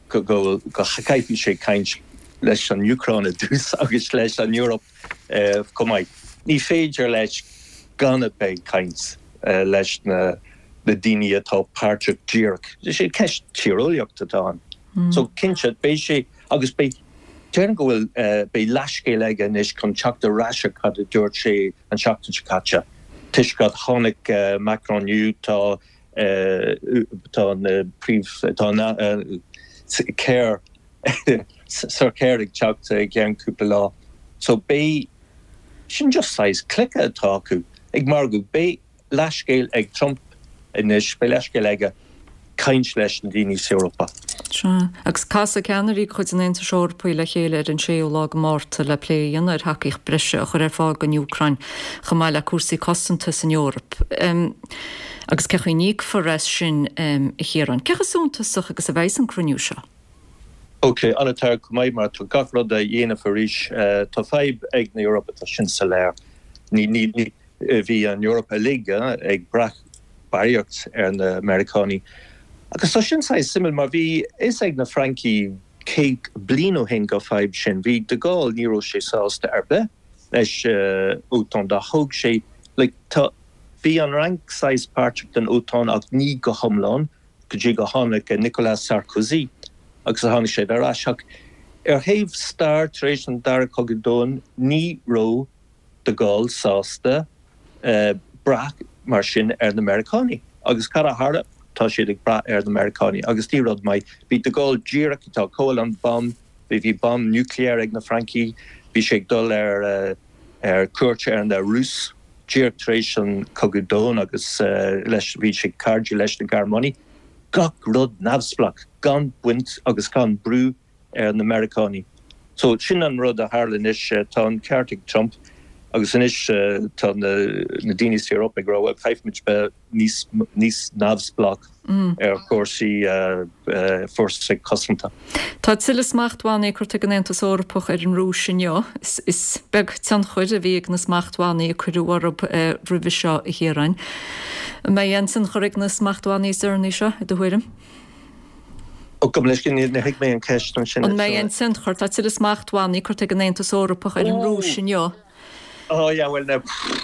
go bhfuil, go gcaithfidh sé caint leis an Úcráin i dtús agus leis an Eoraip chomh maith. Ní féidir leis gan a bheith ag caint leis na daoine atá páirteach díreach. Is é ceist tíreolaíochta atá ann. So cinnte, beidh sé, agus beidh, déarfainn go bhfuil, beidh leathscéal aige anois chun teacht ar ais ar cad a dúirt sé an tseachtain seo caite. Toisc go tháinig Macron inniu, tá Tá an príomh tá an Keir Sir Keir ag teacht i gceann cúpla lá. So beidh sin just saghas cluiche atá acu ag margadh. Beidh leithscéal ag Trump anois, beidh leithscéal aige caint leis na daoine sa Eorpa. Sea, agus casfaidh ceannairí de chuid an Aontais Eorpaigh le chéile ar an séú lá de Mhárta le plé a dhéanamh ar thacaíocht breise a chur ar fáil don Úcráin chomh maith le cúrsaí cosanta san Eoraip. Agus cé chaoi a n-íocfar as sin, a Chiaráin? Cé chomh suntasach agus a bheidh an cruinniú seo? Ok, an-tábhachtach go maith mar tá gach rud a dhéanamh arís. Tá fadhb ag na Eorpa, tá sin soiléir. Ní, ní, ní, bhí an Eoraip uilig ag brath barraíocht ar na Meiriceánaigh. Agus tá sin saghas suimiúil mar bhí fhios ag na Francaigh céad bliain ó shin go fadhb sin. Bhí de Gaulle, ní raibh sé sásta ar bith leis OTAN dá thóg sé, like, tá, bhí an Fhrainc saghas páirteach den OTAN ach ní go hiomlán go dtí go tháinig Nicolas Sarkozy agus a tháinig siad ar ais. Ach ar thaobh stair tar éis an Dara Cogadh Domhain ní raibh de Gaulle sásta brath mar sin ar na Meiriceánaigh. Agus cad a tharla? Tá siad ag brath ar na Meiriceánaigh. Agus ní rud maith. Bhí de Gaulle díreach ag tógáil an bomb, bhí bhí bomb nuclear ag na Francaigh, bhí sé ag dul ar ar cuairt ar na Rúis díreach tar éis an Cogadh Domhain agus leis bhí sé cairdiúil leis na Gearmánaigh. Gach rud neamhspleách, gan baint agus gan brú ar na Meiriceánaigh. So sin an rud a tharla anois. Tá an ceart ag Trump agus anois tá na daoine sa Eoraip ag rá bhuel caithfimid bheith níos níos neamhspleách ar chúrsaí fórsaí cosanta. Tá tuilleadh smachtbhannaí curtha ag an Aontas Eorpach ar an Rúis inniu. Is beag tionchar a bhí ag na smachtbhannaí a cuireadh orthu roimhe seo, a Chiaráin. An mbeidh aon tionchar ag na smachtbhannaí is deireanaí seo, i do thuairim? Ó, gabh mo leithscéal, níor thuig mé an ceist ansin. An mbeidh aon tionchar? Tá tuilleadh smachtbhannaí curtha ag an Aontas Eorpach ar an Rúis inniu. Ó, yeah, bhuel, now,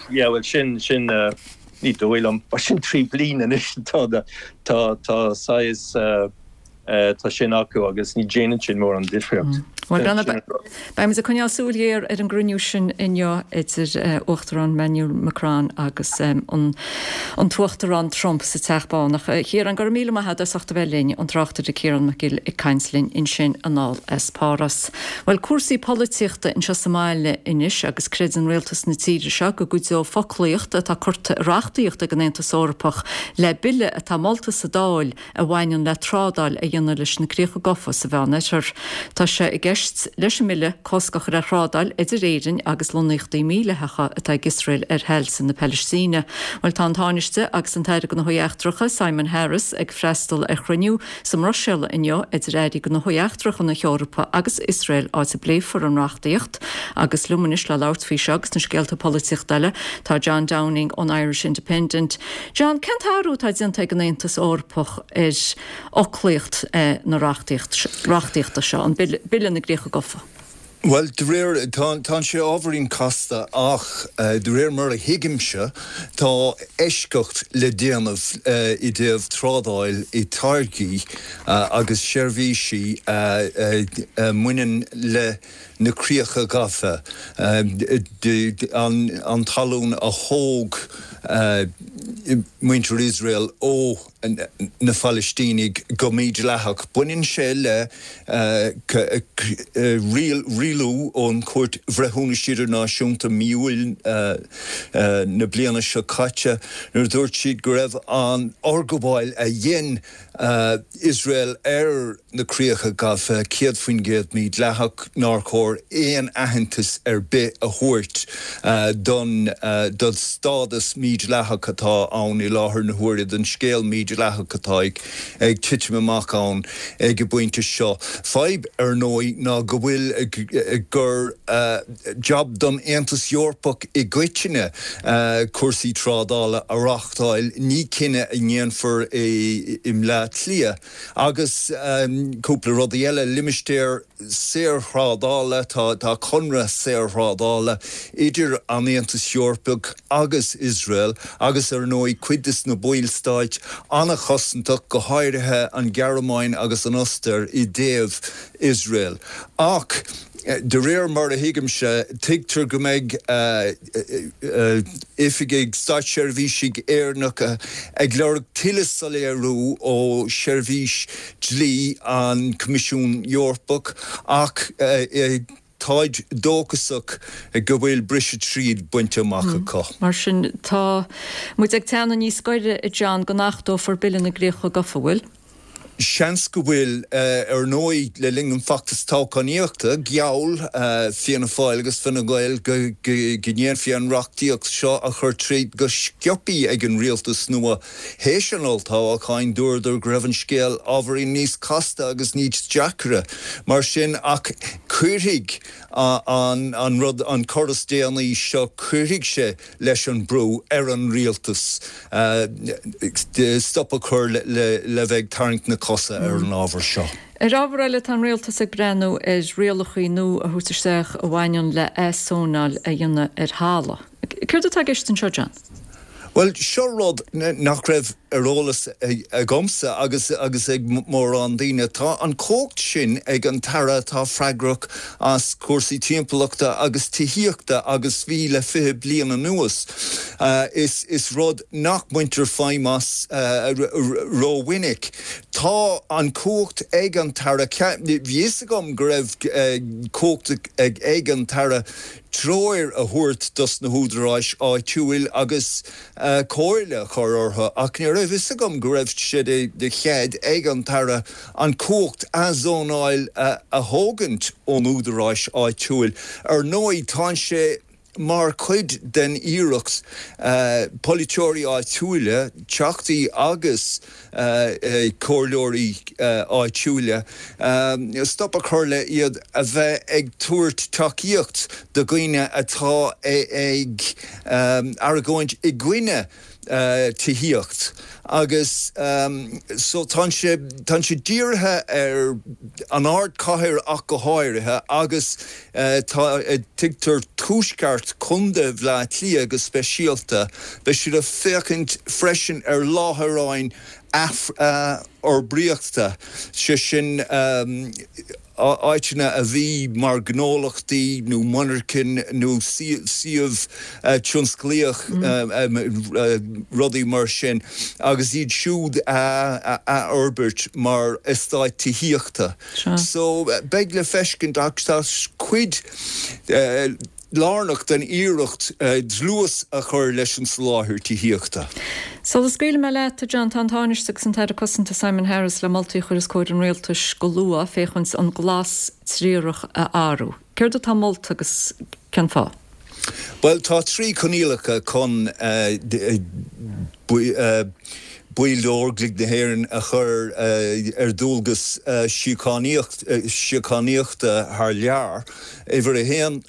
yeah, bhuel, sin, sin, ní dóigh liom, mar sin trí bliana anois tá, tá, tá saghas, tá sin acu agus ní déanann sin mórán difríocht. Bhuel, beimid ag coinneáil súil ghéar ar an gcruinniú sin inniu idir Uachtarán Emmanuel Macron agus an tUachtarán Trump sa Teach Bán. Ach a Chiaráin, go raibh míle maith agat as ucht a bheith linn, an tráchtaire Ciarán Mac Gill ag caint linn ansin anall as Páras. Bhuel, cúrsaí polaitíochta anseo sa mbaile anois agus creideann rialtas na tíre seo go gcuideoidh foclaíocht atá curtha i reachtaíocht ag an Aontas Eorpach le bille atá molta sa Dáil a bhaineann le trádáil a dhéanamh leis na Críocha Gafa sa Mheánoirthear. Tá sé i gceist leis an mbille cosc a chur ar thrádáil idir Éirinn agus lonnaíochtaí mídhleathacha atá ag Iosrael ar thailte na Palaistíne. Bhuel, tá an Tánaiste agus an tAire Gnóthaí Eachtracha, Simon Harris, ag freastal ar chruinniú sa mBruiséil inniu idir Airí Gnóthaí Eachtracha na hEorpa agus Iosrael áit a bpléifear an reachtaíocht. Agus liom anois le labhairt faoi seo agus na scéalta polaitíochta eile tá John Downing ón Irish Independent. John, cén t-athrú atá déanta ag an Aontas Eorpach ar fhoclaíocht na reachtaíochta seo, an Bille na gCríocha Gafa? Bhuel, de réir, tá tá sé ábhairín casta ach de réir mar a thuigimse, tá eisceacht le déanamh i dtaobh trádáil i táirgí agus seirbhísí a mbaineann le na críocha gafa, an talún a thóg muintir Iosrael ó na Palaistínigh go mídhleathach. Baineann sé le rialú ón Chúirt Bhreithiúnais Idirnáisiúnta mí Iúil na bliana seo caite nuair a dúirt siad go raibh an fhorghabháil a dhein Iosrael ar na críocha gafa céad faoin gcéad mídhleathach, nár chóir aon aitheantas ar bith a thabhairt don don stádas mídhleathach atá ann i láthair na huaire, don scéal mídhleathach atá ag titim amach ann ag an bpointe seo. Fadhb, ar ndóigh, ná go bhfuil gur jab don Aontas Eorpach i gcoitinne cúrsaí trádála a reáchtáil, ní cinneadh a ndéanfar i mBleá Cliath. Agus cúpla rudaí eile, limistéar saorthrádála, tá tá conradh saorthrádála idir an Aontas Eorpach agus Iosrael agus ar ar ndóigh cuid des na ballstáit an-chosantach, go háirithe an Ghearmáin agus an Ostair i dtaobh Iosrael. Ach de réir mar a thuigimse, tuigtear go mbeidh oifigigh státseirbhísigh Éireannacha ag lorg tuilleadh soiléiriú ó Sheirbhís Dlí an Choimisiúin Eorpach ach táid dóchasach go bhfuil briseadh tríd bainte amach acu. Mar sin, tá muid ag teannadh níos gaire, a John, go n-achtófar Bille na gCríocha Gafa, bhfuil? Seans go bhfuil. Ar ndóigh, le linn an feachtas toghchánaíochta, gheall Fianna Fáil agus Fine Gael go ndéanfaí an reachtaíocht seo a chur tríd go sciobtha ag an rialtas nua. Théis an olltoghcháin, dúradar go raibh an scéal ábhairín níos casta agus níos deacra mar sin ach cuirfidh an rud, an cor is déanaí seo, cuirfidh sé leis an brú ar an rialtas stop a chur le bheith ag tarraingt na cosa ar an ábhar seo. Ar ábhar eile, tá an rialtas ag breathnú ar rialacha nua a thabhairt isteach a bhaineann le athzónáil a dhéanamh ar thalamh. Céard atá i gceist anseo, John? Bhuel, seo rud nach raibh ar eolas agamsa agus agus ag mórán daoine. Tá an chumhacht sin ag an tAire atá freagrach as cúrsaí timpeallachta agus tithíochta agus bhí le fiche bliain anuas. Is is rud nach mbaintear feidhm as rómhinic. Tá an chumhacht ag an tAire, bhí fhios agam go raibh cumhacht ag an tAire treoir a thabhairt dos na húdaráis áitiúil agus comhairle a chur orthu ach ní raibh fhios agam go raibh sé de chead ag an tAire an chumhacht athzónáil a thógaint ón údaráis áitiúil. Ar ndóigh tá sé mar chuid den iarracht polaiteoirí áitiúla, teachtaí agus comhairleoirí áitiúla, stop a chur le iad a bheith ag tabhairt tacaíocht do dhaoine atá ag argóint i gcoinne tithíocht agus so tá sé tá sé dírithe ar an ardchathair ach go háirithe agus tá tuigtear tuaisceart Chontae Bhaile Átha Cliath go speisialta. Beidh siad ag féachaint freisin ar láithreáin athfhorbraíochta, sé sin áiteanna a bhí mar ghnólachtaí nó monarchain nó suíomh tionsclaíoch, rudaí mar sin, agus iad siúd a athfhorbairt mar eastáit tithíochta. So beidh le feiscint ach tá cuid lárnach den iarracht dlús a chur leis an soláthar tithíochta. Sula scaoilfidh mé leat, a John, tá an Tánaiste agus an tAire Cosanta Simon Harris le moltaí a chur os comhair an Rialtais go luath féachaint an glas triarach a athrú. Céard atá molta agus cén fáth? Bhuel, tá trí coinníollacha chun baill d'Óglaigh na hÉireann a chur ar dualgas síochánaíochta thar lear, uimhir a haon,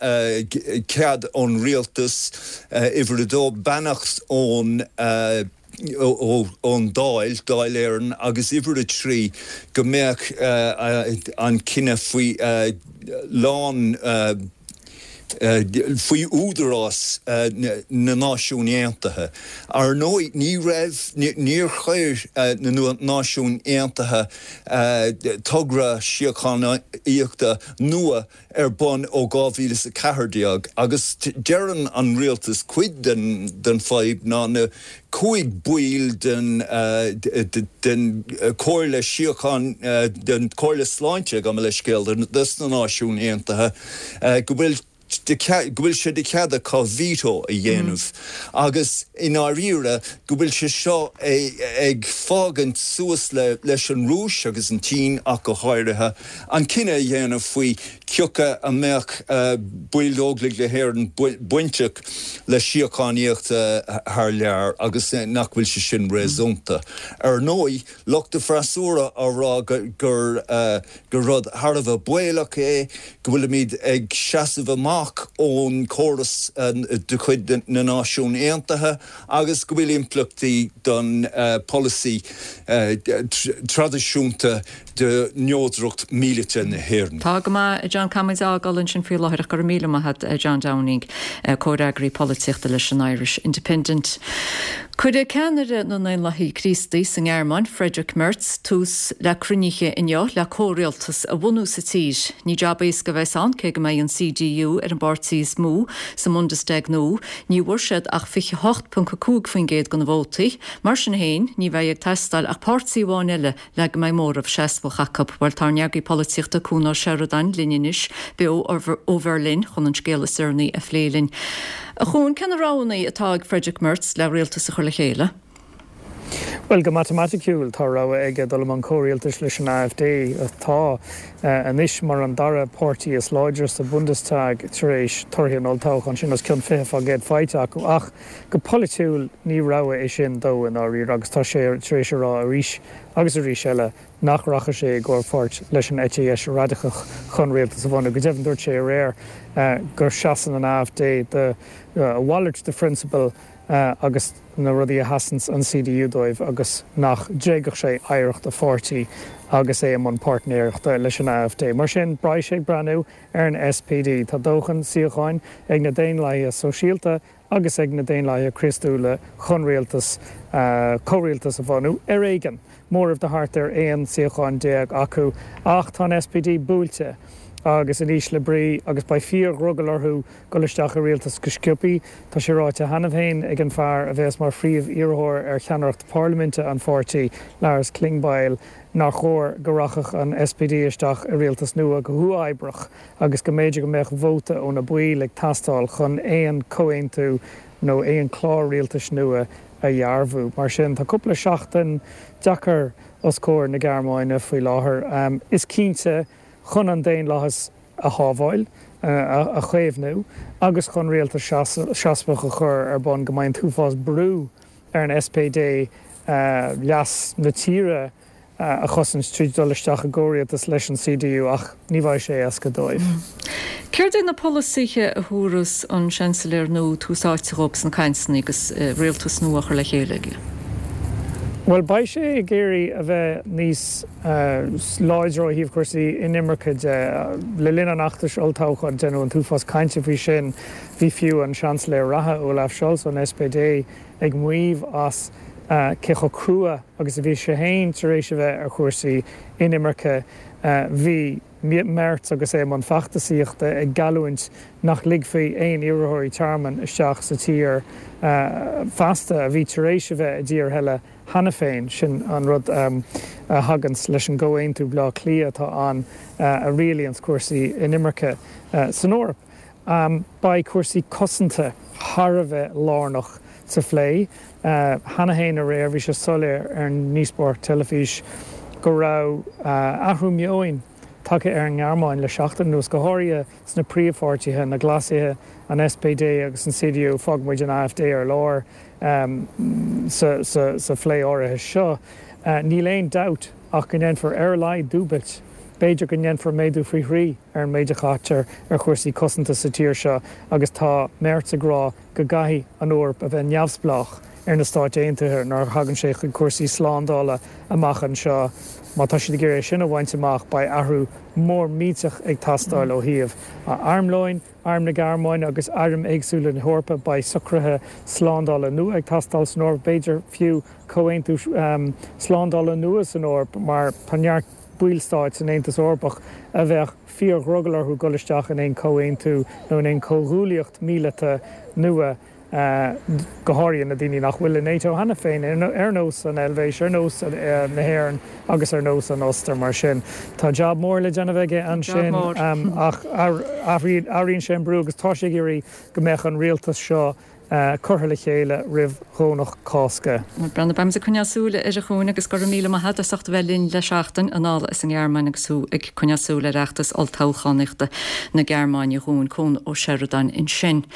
cead ón rialtas, uimhir a dó, beannacht ón ón Dáil, Dáil Éireann, agus uimhir a trí, go mbeadh an cinneadh faoi lán faoi údarás na Náisiún Aontaithe. Ar ndóigh, ní raibh, níor chuir na Náisiúin Aontaithe togra síochánaíochta nua ar bun ó dhá mhíle is a ceathair déag agus deireann an rialtas cuid den fadhb ná na cúig baill den den Chomhairle Síocháin den Chomhairle Sláinte, gabh mo leithscéal, des na Náisiúin Aontaithe go bhfuil go bhfuil sé de chead acu veto a dhéanamh agus i ndáiríre go bhfuil sé seo ag fágaint suas le leis an Rúis agus an tSín ach go háirithe an cinneadh a dhéanamh faoi cioca a mbeadh baill d'Óglaigh na hÉireann bainteach le síochánaíocht thar lear agus nach bhfuil sé sin réasúnta. Ar ndóigh, lucht an fhreasúra á rá gur gur rud thar a bheith baolach é, go bhfuilimid ag seasamh amach ón chóras de chuid na Náisiún Aontaithe agus go bhfuil impleachtaí don pholasaí traidisiúnta de neodracht míleata na hÉireann. Tá go maith, a John, caithfimid a fhágáil ansin faoi láthair ach go raibh míle maith agat, John Downing, comhfhreagraí polaitíochta leis an Irish Independent. Cuirfidh ceannaire na nDaonlathaithe Críostaí sa nGearmáin, Friedrich Merz, tús le cruinnithe inniu le comhrialtas a bhunú sa tír. Ní jab éasca a bheas ann, cé go mbeidh an C D U ar an bpáirtí is mó sa mBundestag nua, ní bhfuair siad ach fiche hocht ponc a cúig faoin gcéad de na vótaí. Mar sin féin, ní bheidh ag teastáil ach páirtí amháin eile le go mbeidh móramh seasmhach acu. Bhuel, tá ár n-eagraí polaitíochta Cuan Ó Seireadáin linn anois beo ó Bheirlin chun an scéal is deireanaí a phlé linn. A Chuain, cé na roghanna atá ag Friedrich Merz le rialtas a chur le chéile? Bhuel, go matamaiticiúil tá rogha aige dul i mbun comhrialtais leis an A F D atá anois mar an dara páirtí is láidre sa Bundestag tar éis torthaí an olltoghcháin sin, os cionn fiche faoin gcéad faighte acu. Ach go polaitiúil ní rogha é sin dó i ndáiríre agus tá sé tar éis a rá arís agus arís eile nach rachaidh sé i gcomhpháirt leis an eite dheis radacach chun rialtas a bhunú. Go deimhin dúirt sé aréir go seasann an A F D do a mhalairt de phrionsabail agus na rudaí a sheasann an C D U dóibh agus nach dtréigfeadh sé oidhreacht a pháirtí agus é i mbun páirtnéireachta leis an A F D. Mar sin, beidh sé ag breathnú ar an S P D. Tá dóthain suíocháin ag na Daonlathaithe Sóisialta agus ag na Daonlathaithe Críostúla chun rialtas, comhrialtas a bhunú, ar éigean, móramh de thart ar aon suíochán déag acu. Ach tá an S P D buailte agus in ísle brí agus beidh fíor-dhrogall orthu dul isteach i rialtas go sciobtha. Tá sé ráite cheana féin ag an fear a bheas mar phríomh-iarrthóir ar cheannaireacht parlaiminte an pháirtí, Lars Klingbeil, nár chóir go rachadh an S P D isteach i rialtas nua go huathoibríoch agus go mb'fhéidir go mbeadh vóta ó na baill ag teastáil chun aon chomhaontú nó aon chlár rialtais nua a dhearbhú. Mar sin, tá cúpla seachtain deacair os comhair na Gearmáine faoi láthair. Is cinnte chun an daonlathas a shábháil, a chaomhnú agus chun rialtas seasmhach a chur ar bun go mbeidh an t-uafás brú ar an S P D leas na tíre a chosaint tríd dul isteach i gcomhrialtas leis an C D U ach ní bheidh sé éasca dóibh. Céard é na polasaithe a thabharfas an seansailéir nua tús áite dhóibh sna cainteanna agus rialtas nua a chur le chéile aige? Bhuel, beidh sé ag iarraidh a bheith níos láidre ó thaobh cúrsaí inimirce de. Le linn an fheachtais olltoghcháin déanadh an t-uafás cainte faoi sin. Bhí fiú an Seansailéir reatha Olaf Scholz ón S P D ag maíomh as cé chomh crua agus a bhí sé féin tar éis a bheith ar chúrsaí inimirce. Bhí Merz agus é i mbun feachtasaíochta ag geallúint nach ligfí aon iarrthóirí tearmainn isteach sa tír feasta a bhí tar éis a bheith i dtír eile cheana féin. Sin an rud a thaganns leis an gComhaontú Bhaile Átha Cliath atá ann a rialaíonns cúrsaí inimirce san Eoraip. Beidh cúrsaí cosanta thar a bheith lárnach sa phlé. Cheana féin aréir bhí sé soiléir ar an ndíospóireacht teilifís go raibh athrú meoin tagtha ar an nGearmáin le seachtain anuas, go háirithe sna príomhpháirtithe, na Glasaithe, an S P D agus an C D U, fágfaidh muid an A F D ar lár sa phlé áirithe seo. Níl aon dabht ach go ndéanfar ar a laghad dúbailt, b'fhéidir go ndéanfar méadú faoi thrí ar an méid a chaitear ar chúrsaí cosanta sa tír seo agus tá Merz ag rá go gcaithfidh an Eoraip a bheith neamhspleách ar na Stáit Aontaithe nuair a thagann sé chuig cúrsaí slándála amach anseo. Má tá siad ag iarraidh é sin a bhaint amach, beidh athrú mór millteach ag teastáil ó thaobh armlóin, Arm na Gearmáine agus airm éagsúla na hEorpa. Beidh socruithe slándála nua ag teastáil san Eoraip, b'fhéidir fiú comhaontú slándála nua san Eoraip mar tá neart ballstáit san Aontas Eorpach a bheadh fíor-dhrogall orthu dul isteach in aon chomhaontú nó in aon chomhghuaillíocht mhíleata nua. Go háirithe na daoine nach bhfuil i NATO cheana féin, ar nós an Eilvéis, ar nós na hÉireann agus ar nós an Ostair. Mar sin, tá jab mór le déanamh aige ansin ach airíonn sé an brú agus tá sé ag iarraidh go mbeadh an rialtas seo curtha le chéile roimh Dhomhnach Cásca. Breandán, beimid ag coinneáil súil air a Chuain agus go raibh míle maith agat as ucht a bheith linn le seachtain anall as an nGearmáin agus thú ag coinneáil súil ar fheachtas olltoghchánaíochta na Gearmáine a Chuain, Cuan Ó Seireadáin ansin.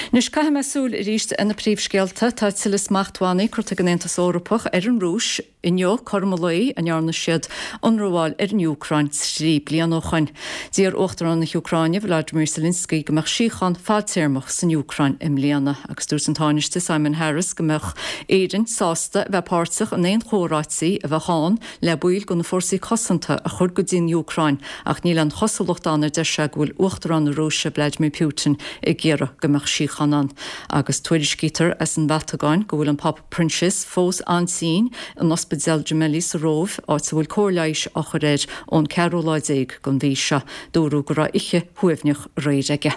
Anois caithfidh mé súil arís ar na príomhscéalta. Tá tuilleadh smachtbhannaí curtha ag an Aontas Eorpach ar an Rúis. Inniu, cothrom an lae a ndearna siad ionramháil ar an Úcráin trí bliana ó shoin. D'iarr Uachtarán na hÚcráine, Volodymyr Zelensky, go mbeadh síocháin fadtéarmach san Úcráin i mbliana agus dúirt an Tánaiste Simon Harris go mbeadh Éirinn sásta a bheith páirteach in aon chomhráití a bheadh ann le baill de na fórsaí cosanta a chur go dtí an Úcráin ach níl aon chosúlacht ann a deir sé go bhfuil Uachtarán na Rúise Vladimir Putin ag iarraidh go mbeadh síocháin ann. Agus tuairiscítear as an Vatacáin go bhfuil an Pápa Proinsias fós an-tinn in Ospidéal Gemelli sa Róimh, áit a bhfuil cóir leighis á chur air ón ceathrú lá déag den mhí seo. Dúradh go raibh oíche shuaimhneach aréir aige.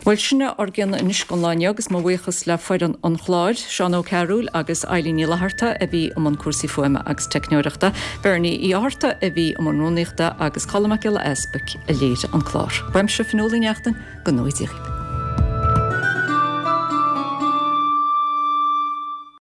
Bhuel, sin é ár gcion anois don lá inniu agus mo bhuíochas le foireann an chláir, Seán Ó Cearúil agus Eilín Ní Fhlatharta a bhí i mbun cúrsaí fuaime agus teicneoireachta, Bernie Uí Fhátharta a bhí i mbun rúnaíochta agus Colm Mac Giolla Easpaig a léirigh an clár. Uaimse Fionnuala Ní Neachtain, go ngnóthaí Dia dhaoibh.